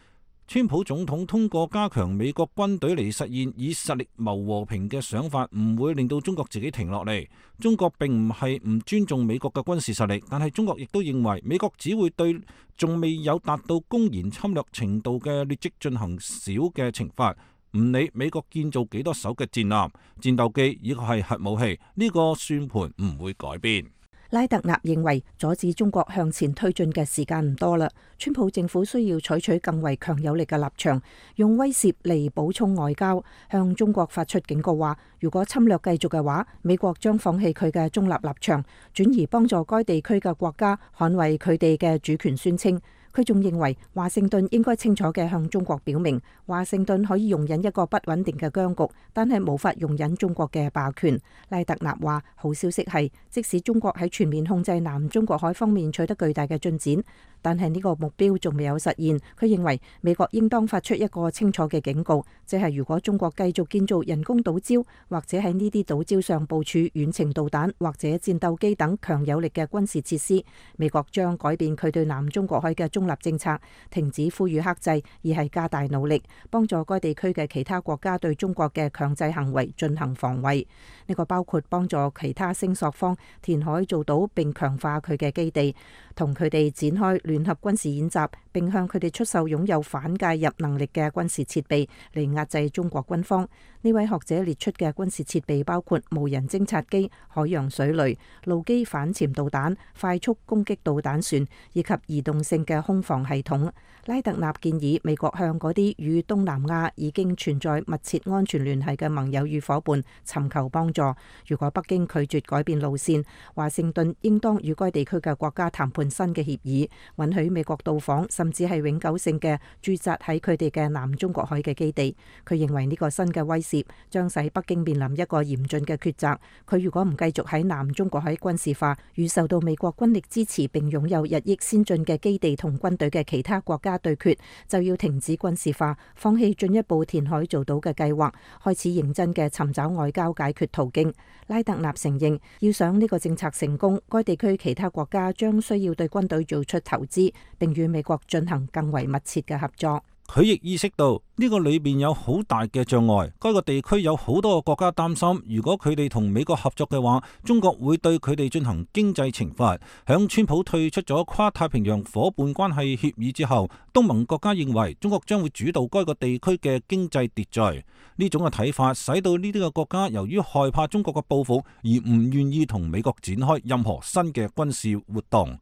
川普總統通過加強美國軍隊嚟實現以實力謀和平嘅想法，唔會令到中國自己停落嚟。中國並唔係唔尊重美國嘅軍事實力，但係中國亦都認為美國只會對仲未有達到公然侵略程度嘅劣跡進行小嘅懲罰，唔理美國建造幾多艘嘅戰艦、戰鬥機以及係核武器，呢個算盤唔會改變。拉特納認為阻止中國向前推進嘅時間唔多啦，川普政府需要採取更為強有力嘅立場，用威懾嚟補充外交，向中國發出警告話，如果侵略繼續嘅話，美國將放棄佢嘅中立立場，轉而幫助該地區嘅國家捍衛佢哋嘅主權宣稱。佢仲認為華盛頓應該清楚嘅向中國表明，華盛頓可以容忍一個不穩定嘅僵局，但係無法容忍中國嘅霸權。拉特納話，好消息係，即使中國喺全面控制南中國海方面取得巨大嘅進展，但係呢個目標仲未有實現。佢認為美國應當發出一個清楚嘅警告，即係如果中國繼續建造人工島礁，或者喺呢啲島礁上部署遠程導彈或者戰鬥機等強有力嘅軍事設施，美國將改變佢對南中國海嘅中立政策，停止呼籲克制，而係加大努力幫助該地區嘅其他國家對中國嘅強制行為進行防衛。呢個包括幫助其他聲索方填海造島，並強化佢嘅基地，同佢哋展開聯合軍事演習，並向佢哋出售擁有反介入能力嘅軍事設備嚟壓制中國軍方。呢位學者列出嘅軍事設備包括無人偵察機、海洋水雷、陸基反潛導彈、快速攻擊導彈船以及移動性嘅空防系統。拉特納建議美國向嗰啲與東南亞已經存在密切安全聯繫嘅盟友與夥伴尋求幫助。如果北京拒絕改變路線，華盛頓應當與該地區嘅國家談判新嘅協議，允許美國到訪甚至係永久性嘅駐紮喺佢哋嘅南中國海嘅基地。佢認為呢個新嘅威懾將使北京面臨一個嚴峻嘅抉擇。佢如果唔繼續喺南中國海軍事化，與受到美國軍力支持並擁有日益先進嘅基地同軍隊嘅其他國家對決，就要停止軍事化，放棄進一步填海造島嘅計劃，開始認真嘅尋找外交解決途徑。拉特納承認，要想呢個政策成功，該地區其他國家將需要對軍隊做出投資，並與美國進行更為密切嘅合作。佢亦意識到呢個裏邊有好大嘅障礙，該個地區有好多個國家擔心，如果佢哋同美國合作嘅話，中國會對佢哋進行經濟懲罰。響川普退出咗跨太平洋夥伴關係協議之後，東盟國家認為中國將會主導該個地區嘅經濟秩序。呢種嘅睇法使到呢啲嘅國家由於害怕中國嘅報復而唔願意同美國展開任何新嘅軍事活動。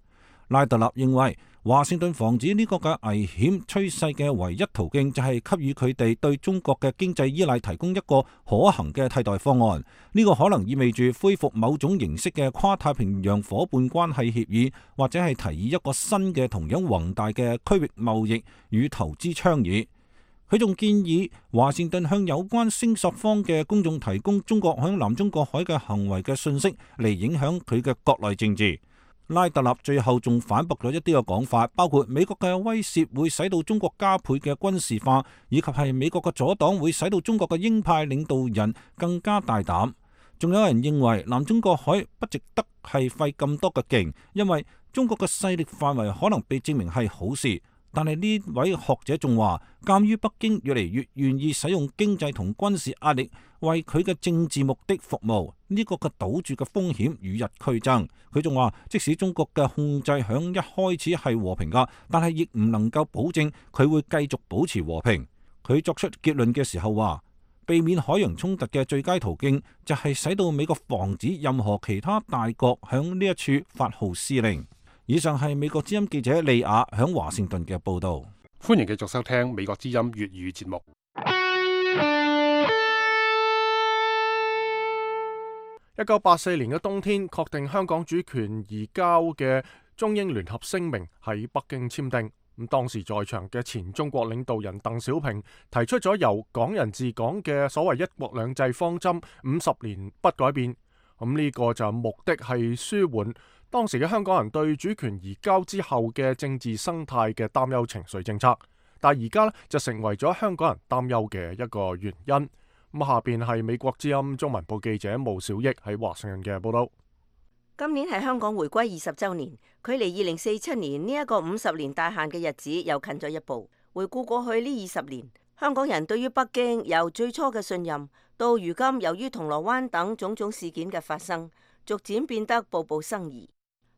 拉特納認為，華盛頓防止呢個嘅危險趨勢嘅唯一途徑就係給予佢哋對中國嘅經濟依賴提供一個可行嘅替代方案。呢個可能意味住恢復某種形式嘅跨太平洋夥伴關係協議，或者係提議一個新嘅同樣宏大嘅區域貿易與投資倡議。佢仲建議華盛頓向有關聲索方嘅公眾提供中國響南中國海嘅行為嘅信息，嚟影響佢嘅國內政治。拉特納最後仲反駁咗一啲嘅講法，包括美國嘅威懾會使到中國加倍嘅軍事化，以及係美國嘅阻擋會使到中國嘅鷹派領導人更加大膽。仲有人認為南中國海不值得係費咁多嘅勁，因為中國嘅勢力範圍可能被證明係好事。但係呢位學者仲話，鑑於北京越嚟越願意使用經濟同軍事壓力為佢嘅政治目的服務，呢個嘅賭注嘅風險與日俱增。佢仲話，即使中國嘅控制響一開始係和平噶，但係亦唔能夠保證佢會繼續保持和平。佢作出結論嘅時候話，避免海洋衝突嘅最佳途徑就係使到美國防止任何其他大國響呢一處發號施令。以上係美國之音記者利亞響華盛頓嘅報道。歡迎繼續收聽美國之音粵語節目。1984年嘅冬天，確定香港主權移交嘅中英聯合聲明喺北京簽訂。咁當時在場嘅前中國領導人鄧小平提出咗由港人治港嘅所謂一國兩制方針50年不改變。咁呢個就目的係舒緩當時嘅香港人對主權移交之後嘅政治生態嘅擔憂情緒政策。但係而家呢，就成為咗香港人擔憂嘅一個原因。咁下邊係美國之音中文部記者毛小益喺華盛頓嘅報道。今年係香港回歸20週年，距離2047年呢一個50年大限嘅日子又近咗一步。回顧過去呢20年，香港人對於北京由最初嘅信任，到如今由於銅鑼灣等種種事件嘅發生，逐漸變得步步生疑。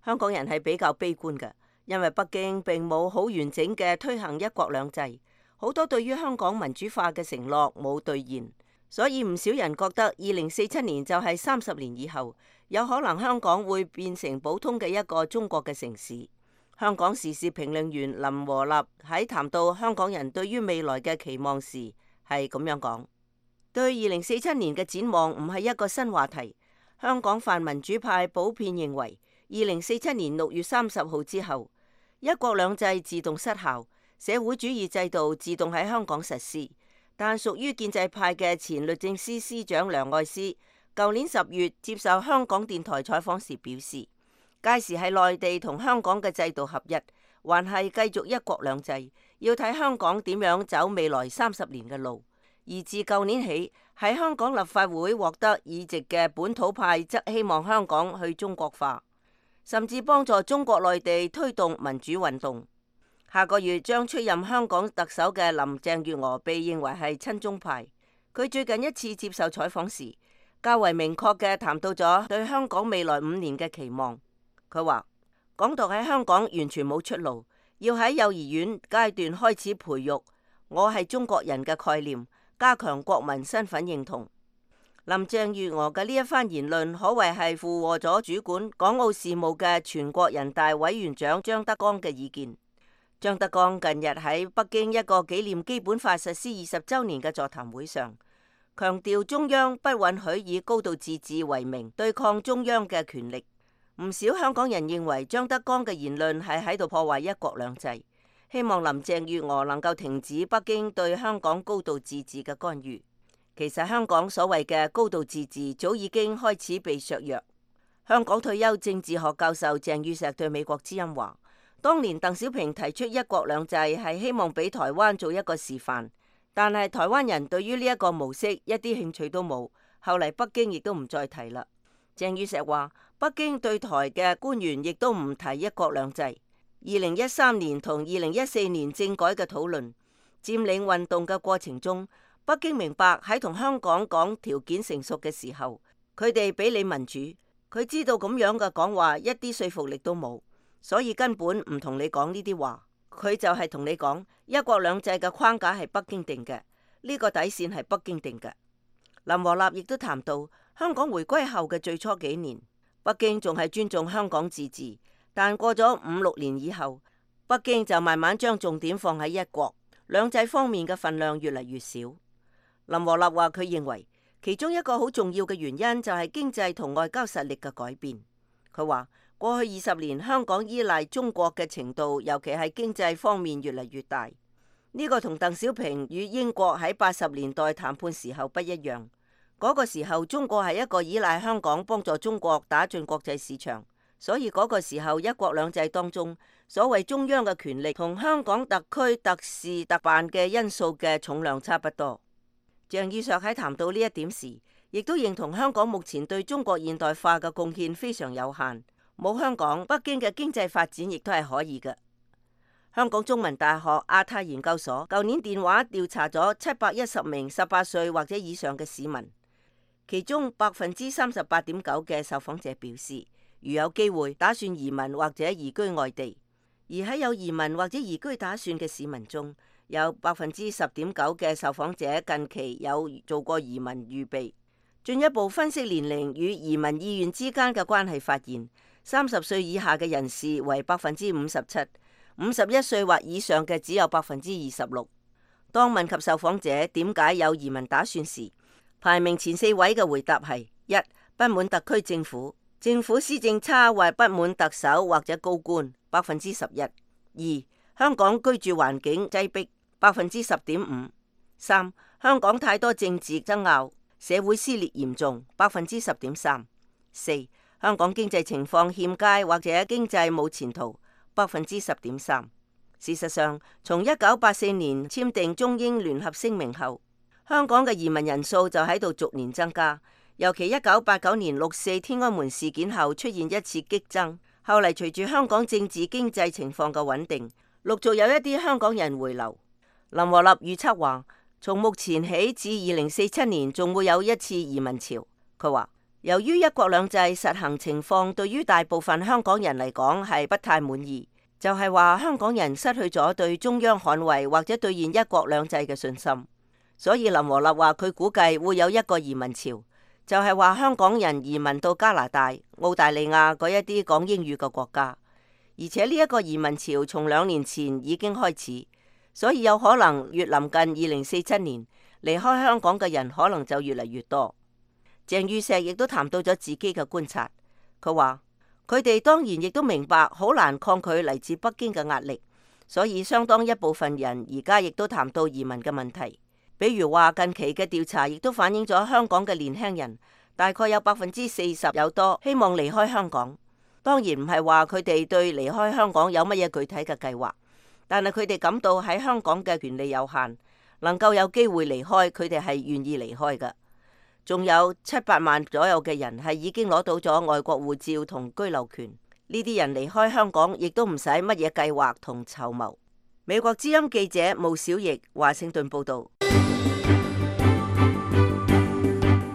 香港人係比較悲觀嘅，因為北京並冇好完整嘅推行一國兩制，好多對於香港民主化嘅承諾冇兌現，所以唔少人覺得2047年就係30年以後。有可能香港會變成普通嘅一個中國嘅城市。香港時事評論員林和立喺談到香港人對於未來嘅期望時係咁樣講：對2047年嘅展望唔係一個新話題。香港泛民主派普遍認為2047年6月30號之後，一國兩制自動失效，社會主義制度自動喺香港實施。但屬於建制派嘅前律政司司長梁愛詩舊年10月接受香港電台採訪時表示，屆時係內地同香港嘅制度合一，還係繼續一國兩制，要睇香港點樣走未來30年嘅路。而自舊年起，喺香港立法會獲得議席嘅本土派則希望香港去中國化，甚至幫助中國內地推動民主運動。下個月將出任香港特首嘅林鄭月娥被認為係親中派。佢最近一次接受採訪時，較為明確嘅談到咗對香港未來5年嘅期望。佢話港獨喺香港完全冇出路，要喺幼兒園階段開始培育我係中國人嘅概念，加強國民身份認同。林鄭月娥嘅呢一番言論可謂係附和咗主管港澳事務嘅全國人大委員長張德江嘅意見。張德江近日喺北京一個紀念基本法實施20週年嘅座談會上，強調中央不允許以高度自治為名對抗中央嘅權力。唔少香港人認為張德江嘅言論係喺度破壞一國兩制，希望林鄭月娥能夠停止北京對香港高度自治嘅干預。其實香港所謂嘅高度自治早已經開始被削弱。香港退休政治學教授鄭宇碩對美國之音話，當年鄧小平提出一國兩制係希望俾台灣做一個示範。但係台灣人對於呢一個模式一啲興趣都冇，後嚟北京亦都唔再提啦。鄭宇碩話，北京對台嘅官員亦都唔提一國兩制。2013年同2014年政改嘅討論、佔領運動嘅過程中，北京明白喺同香港講條件成熟嘅時候，佢哋俾你民主，佢知道咁樣嘅講話一啲說服力都冇，所以根本唔同你講呢啲話。佢就係同你講，一國兩制嘅框架係北京定嘅，呢個底線係北京定嘅。林和立亦都談到，香港回歸後嘅最初幾年，北京仲係尊重香港自治，但過咗5-6年以後，北京就慢慢將重點放喺一國兩制方面嘅份量越嚟越少。林和立話，佢認為其中一個好重要嘅原因就係經濟同外交實力嘅改變。佢話，過去20年，香港依賴中國嘅程度，尤其係經濟方面越嚟越大。呢個同鄧小平與英國喺80年代談判時候不一樣。嗰個時候，中國係一個依賴香港幫助中國打進國際市場，所以嗰個時候一國兩制當中，所謂中央嘅權力同香港特區特事特辦嘅因素嘅重量差不多。鄭宇碩喺談到呢一點時，亦都認同香港目前對中國現代化嘅貢獻非常有限。冇香港，北京嘅經濟發展亦都係可以嘅。香港中文大學亞太研究所舊年電話調查咗710名18歲或者以上嘅市民，其中38.9%嘅受訪者表示，如有機會打算移民或者移居外地。而喺有移民或者移居打算嘅市民中，有10.9%嘅受訪者近期有做過移民預備。進一步分析年齡與移民意願之間嘅關係，發現30歲以下嘅人士為57%，51歲或以上嘅只有26%。當問及受訪者點解有移民打算時，排名前4位嘅回答係： 1. 不滿特區政府，政府施政差或不滿特首或者高官，11%； 2. 香港居住環境擠迫，10.5%。3. 香港太多政治爭拗，社會撕裂嚴重，10.3%。4. 香港經濟情況欠佳或者經濟冇前途，10.3%。事實上，從1984年簽訂中英聯合聲明後，香港嘅移民人數就喺度逐年增加。尤其1989年6.4天安門事件後出現一次激增，後嚟隨住香港政治經濟情況嘅穩定，陸續有一啲香港人回流。林和立預測話，從目前起至2047年仲會有一次移民潮。佢話，由於一國兩制實行情況對於大部分香港人嚟講係不太滿意，就係話香港人失去咗對中央捍衛或者兌現一國兩制嘅信心。所以林和立話佢估計會有一個移民潮。就係話香港人移民到加拿大、澳大利亞嗰一啲講英語嘅國家，而且呢一個移民潮從2年前已經開始，所以有可能越臨近2047年，離開香港嘅人可能就越嚟越多。鄭宇碩亦都談到咗自己嘅觀察，佢話佢哋當然亦都明白好難抗拒嚟自北京嘅壓力，所以相當一部分人而家亦都談到移民嘅問題。比如話近期嘅調查亦都反映咗香港嘅年輕人大概有40%有多希望離開香港。當然唔係話佢哋對離開香港有乜嘢具體嘅計劃，但係佢哋感到喺香港嘅權利有限，能夠有機會離開，佢哋係願意離開嘅。仲有7-8萬左右嘅人係已經攞到咗外國護照同居留權，呢啲人離開香港亦都唔使乜嘢計劃同籌謀。美國之音記者毛小翼華盛頓報道。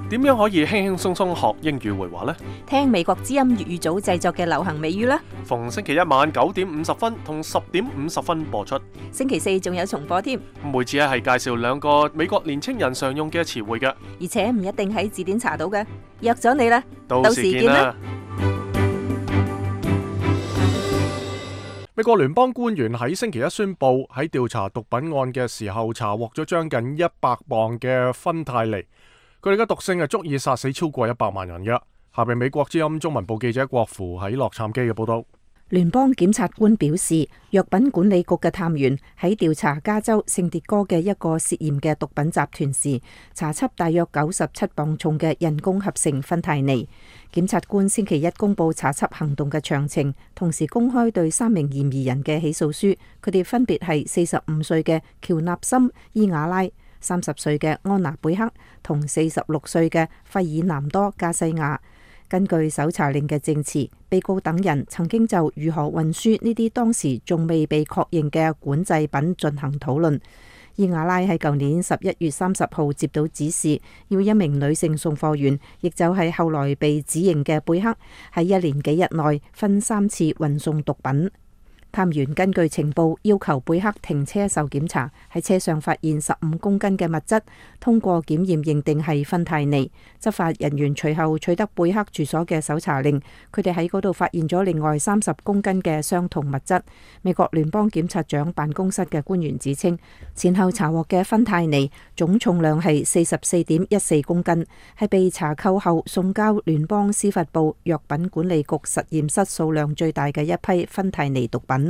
點樣可以輕輕鬆鬆學英語會話呢？聽美國之音粵語組製作嘅流行美語啦。逢星期一晚9:50同10:50播出。星期4仲有重播添。每次係介紹2個美國年青人常用嘅詞彙嘅，而且唔一定喺字典查到嘅。約咗你啦，到時見啦。美國聯邦官員喺星期一宣布，喺調查毒品案嘅時候查獲咗將近100磅嘅芬太尼。佢哋嘅毒性係足以殺死超過100萬人嘅。下邊美國之音中文部記者郭芙喺洛杉磯嘅報道。聯邦檢察官表示，藥品管理局嘅探員喺調查加州聖迭戈嘅一個涉嫌嘅毒品集團時，查緝大約97磅重嘅人工合成芬太尼。檢察官星期一公布查緝行動嘅詳情，同時公開對3名嫌疑人嘅起訴書。佢哋分別係45歲嘅喬納森伊瓦拉、30歲嘅安娜貝克同46歲嘅費爾南多加西亞。根據搜查令嘅證詞，被告等人曾經就如何運輸呢啲當時仲未被確認嘅管制品進行討論。伊瓦拉喺舊年11月30號接到指示，要一名女性送貨員，亦就係後來被指認嘅貝克，喺1年幾日內分3次運送毒品。探員根據情報要求貝克停車受檢查，喺車上發現15公斤嘅物質，通過檢驗認定係芬太尼。執法人員隨後取得貝克住所嘅搜查令，佢哋喺嗰度發現咗另外30公斤嘅相同物質。美國聯邦檢察長辦公室嘅官員指稱，前後查獲嘅芬太尼總重量係44.14公斤，係被查扣後送交聯邦司法部藥品管理局實驗室數量最大嘅一批芬太尼毒品。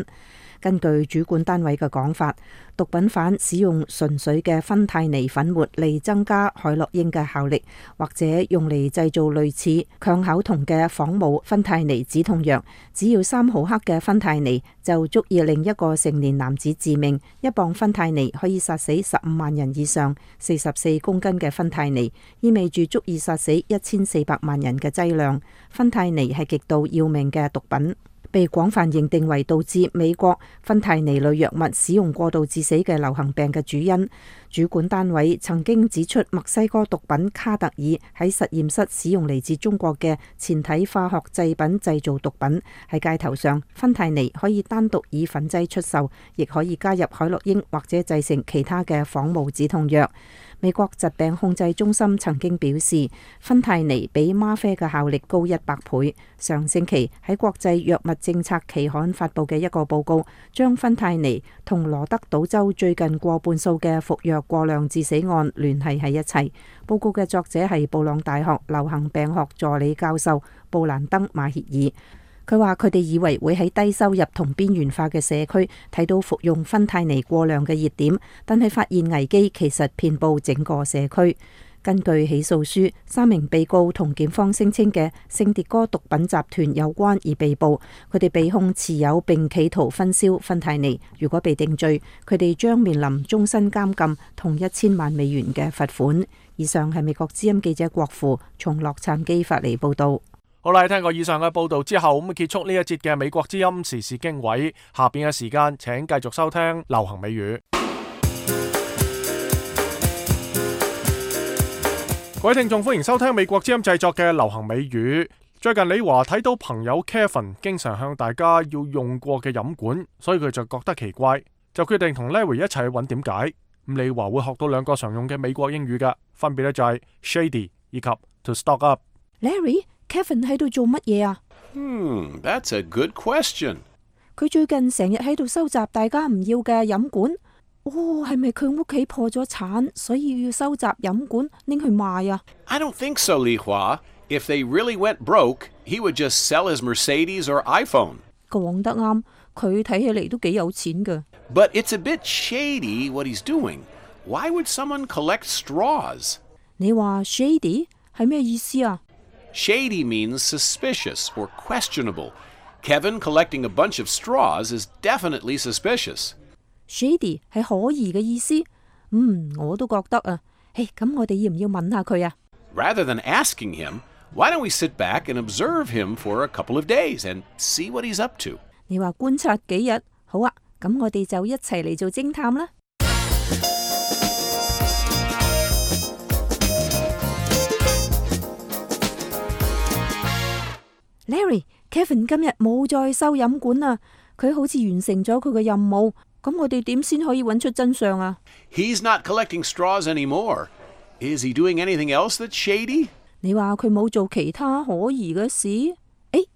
根據主管單位嘅講法，毒品犯使用純粹嘅芬太尼粉末嚟增加海洛因嘅效力，或者用嚟製造類似強口酮嘅仿冒芬太尼止痛藥。只要3毫克嘅芬太尼就足以令一個成年男子致命。1磅芬太尼可以殺死15萬人以上，44公斤嘅芬太尼意味住足以殺死1400萬人嘅劑量。芬太尼係極度要命嘅毒品，被廣泛認定為導致美國芬太尼類藥物使用過度致死嘅流行病嘅主因。主管單位曾經指出，墨西哥毒品卡特爾喺實驗室使用嚟自中國嘅前體化學製品製造毒品。喺街頭上，芬太尼可以單獨以粉劑出售，亦可以加入海洛因或者製成其他嘅仿冒止痛藥。美國疾病控制中心曾經表示，芬太尼比嗎啡嘅效力高100倍。上星期喺國際藥物政策期刊發布嘅一個報告，將芬太尼同羅德島州最近過半數嘅服藥過量致死案聯繫喺一齊。報告嘅作者係布朗大學流行病學助理教授布蘭登馬歇爾。佢話佢哋以為會喺低收入同邊緣化嘅社區睇到服用芬太尼過量嘅熱點，但係發現危機其實遍佈整個社區。根據起訴書，3名被告同檢方聲稱嘅聖迭戈毒品集團有關而被捕，佢哋被控持有並企圖分銷芬太尼。如果被定罪，佢哋將面臨終身監禁同1000萬美元嘅罰款。以上係美國之音記者郭富從洛杉磯發嚟報道。好啦，聽過以上嘅報道之後，咁結束呢一節嘅美國之音時事經緯。下邊嘅時間，請繼續收聽流行美語。各位聽眾，歡迎收聽美國之音製作嘅流行美語。最近李華睇到朋友 Kevin 經常向大家要用過嘅飲管，所以佢就覺得奇怪，就決定同 Larry 一齊去揾點解。咁李華會學到2個常用嘅美國英語㗎，分別咧就係 shady 以及 to stock up。 Larry，Kevin 喺度做乜嘢啊？That's a good question。佢最近成日喺度收集大家唔要嘅飲管。係咪佢屋企破咗產，所以要收集飲管拎去賣啊？ I don't think so, Li Hua. If they really went broke, he would just sell his Mercedes or iPhone. 講得啱，佢睇起嚟都幾有錢㗎。But it's a bit shady what he's doing. Why would someone collect straws? 你話 shady 係咩意思啊？ Shady means suspicious or questionable. Kevin collecting a bunch of straws is definitely suspicious.Shady 係可疑嘅意思，我都覺得啊。咁我哋要唔要問下佢啊？ Rather than asking him, why don't we sit back and observe him for a couple of days and see what he's up to? 你話觀察幾日？好啊，咁我哋就一齊嚟做偵探啦。Larry，Kevin 今日冇再收飲管啦，佢好似完成咗佢嘅任務。咁我哋點先可以揾出真相啊？ He's not collecting straws anymore. Is he doing anything else that's shady? 你話佢冇做其他可疑嘅事？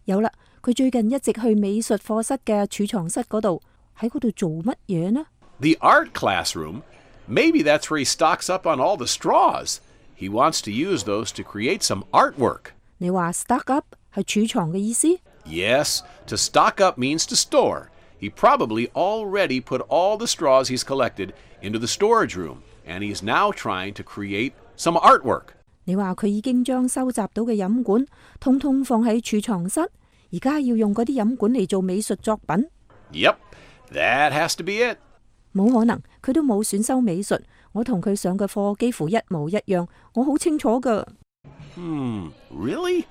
有啦，佢最近一直去美術課室嘅儲藏室嗰度，喺嗰度做乜嘢呢？ The art classroom? Maybe that's where he stocks up on all the straws. He wants to use those to create some artwork. 你話 stock up 係儲藏嘅意思？ Yes, to stock up means to store.He probably already put all the straws he's collected into the storage room, and he's now trying to create some artwork. 你話佢已經將收集到嘅飲管通通放喺儲藏室，而家要用嗰啲飲管嚟做美術作品。Yep, that has to be it. 冇可能，佢都冇選修美術，我同佢上嘅課幾乎一模一樣，我好清楚㗎。Really?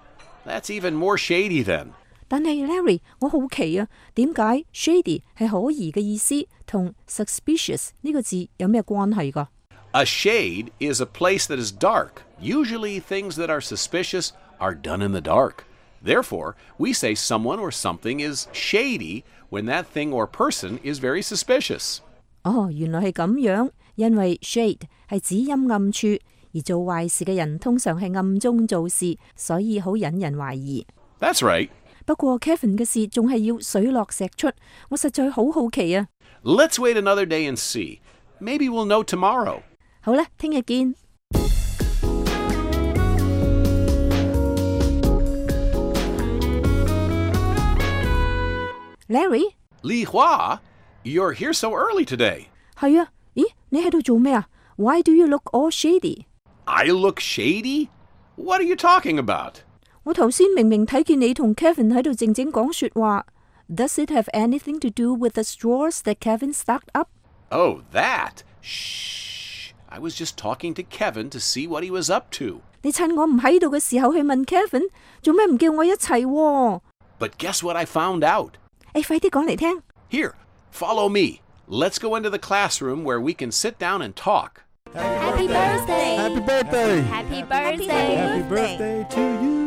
That's even more shady then.但係 Larry， 我好奇啊，點解 shady 係可疑嘅意思，同 suspicious 呢個字有咩關係㗎？ A shade is a place that is dark. Usually things that are suspicious are done in the dark. Therefore, we say someone or something is shady when that thing or person is very suspicious. 原來係咁樣，因為 shade 係指陰暗處，而做壞事嘅人通常係暗中做事，所以好引人懷疑。 That's right.不過 Kevin 嘅事仲係要水落石出，我實在好好奇啊。Let's wait another day and see. Maybe we'll know tomorrow. 好啦，聽日見。Larry？ Li Hua? You're here so early today. 係啊，咦，你喺度做咩啊？ Why do you look all shady? I look shady? What are you talking about?我頭先明明睇見你同 Kevin 喺度靜靜講說話。Does it have anything to do with the straws that Kevin stocked up? Oh, that? Shh. I was just talking to Kevin to see what he was up to. 你趁我唔喺度嘅時候去問 Kevin， 做咩唔叫我一齊喎？ But guess what I found out? 快啲講嚟聽。Here, follow me. Let's go into the classroom where we can sit down and talk. Happy birthday! Happy birthday! Happy birthday! Happy birthday to you!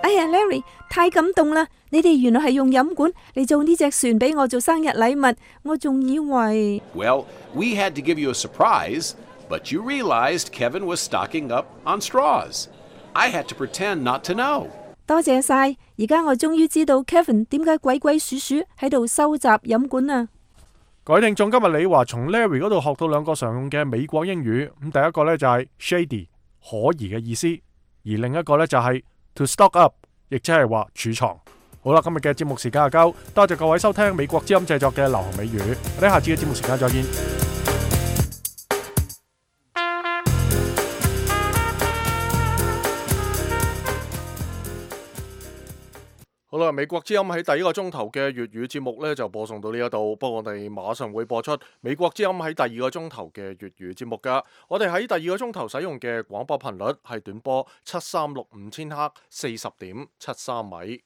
Larry， 太感動啦！你哋原來係用飲管嚟做呢隻船俾我做生日禮物，我仲以為 Well, we had to give you a surprise, but you realized Kevin was stocking up on straws. I had to pretend not to know. 多謝晒，而家我終於知道 Kevin 點解鬼鬼祟祟喺度收集飲管啊！各位聽眾，今日李華從 Larry 嗰度學到2個常用嘅美國英語。咁第一個呢就係 shady 可疑嘅意思，而另一個呢就係to stock up， 亦即係話儲藏。好啦，今日嘅節目時間就夠，多謝各位收聽美國之音製作嘅流行美語，我哋下次嘅節目時間再見。好啦，美國之音喺第一個鐘頭嘅粵語節目呢就播送到呢一度，不過我哋馬上會播出美國之音喺第二個鐘頭嘅粵語節目噶。我哋喺第二個鐘頭使用嘅廣播頻率係短波7365千赫40.73米。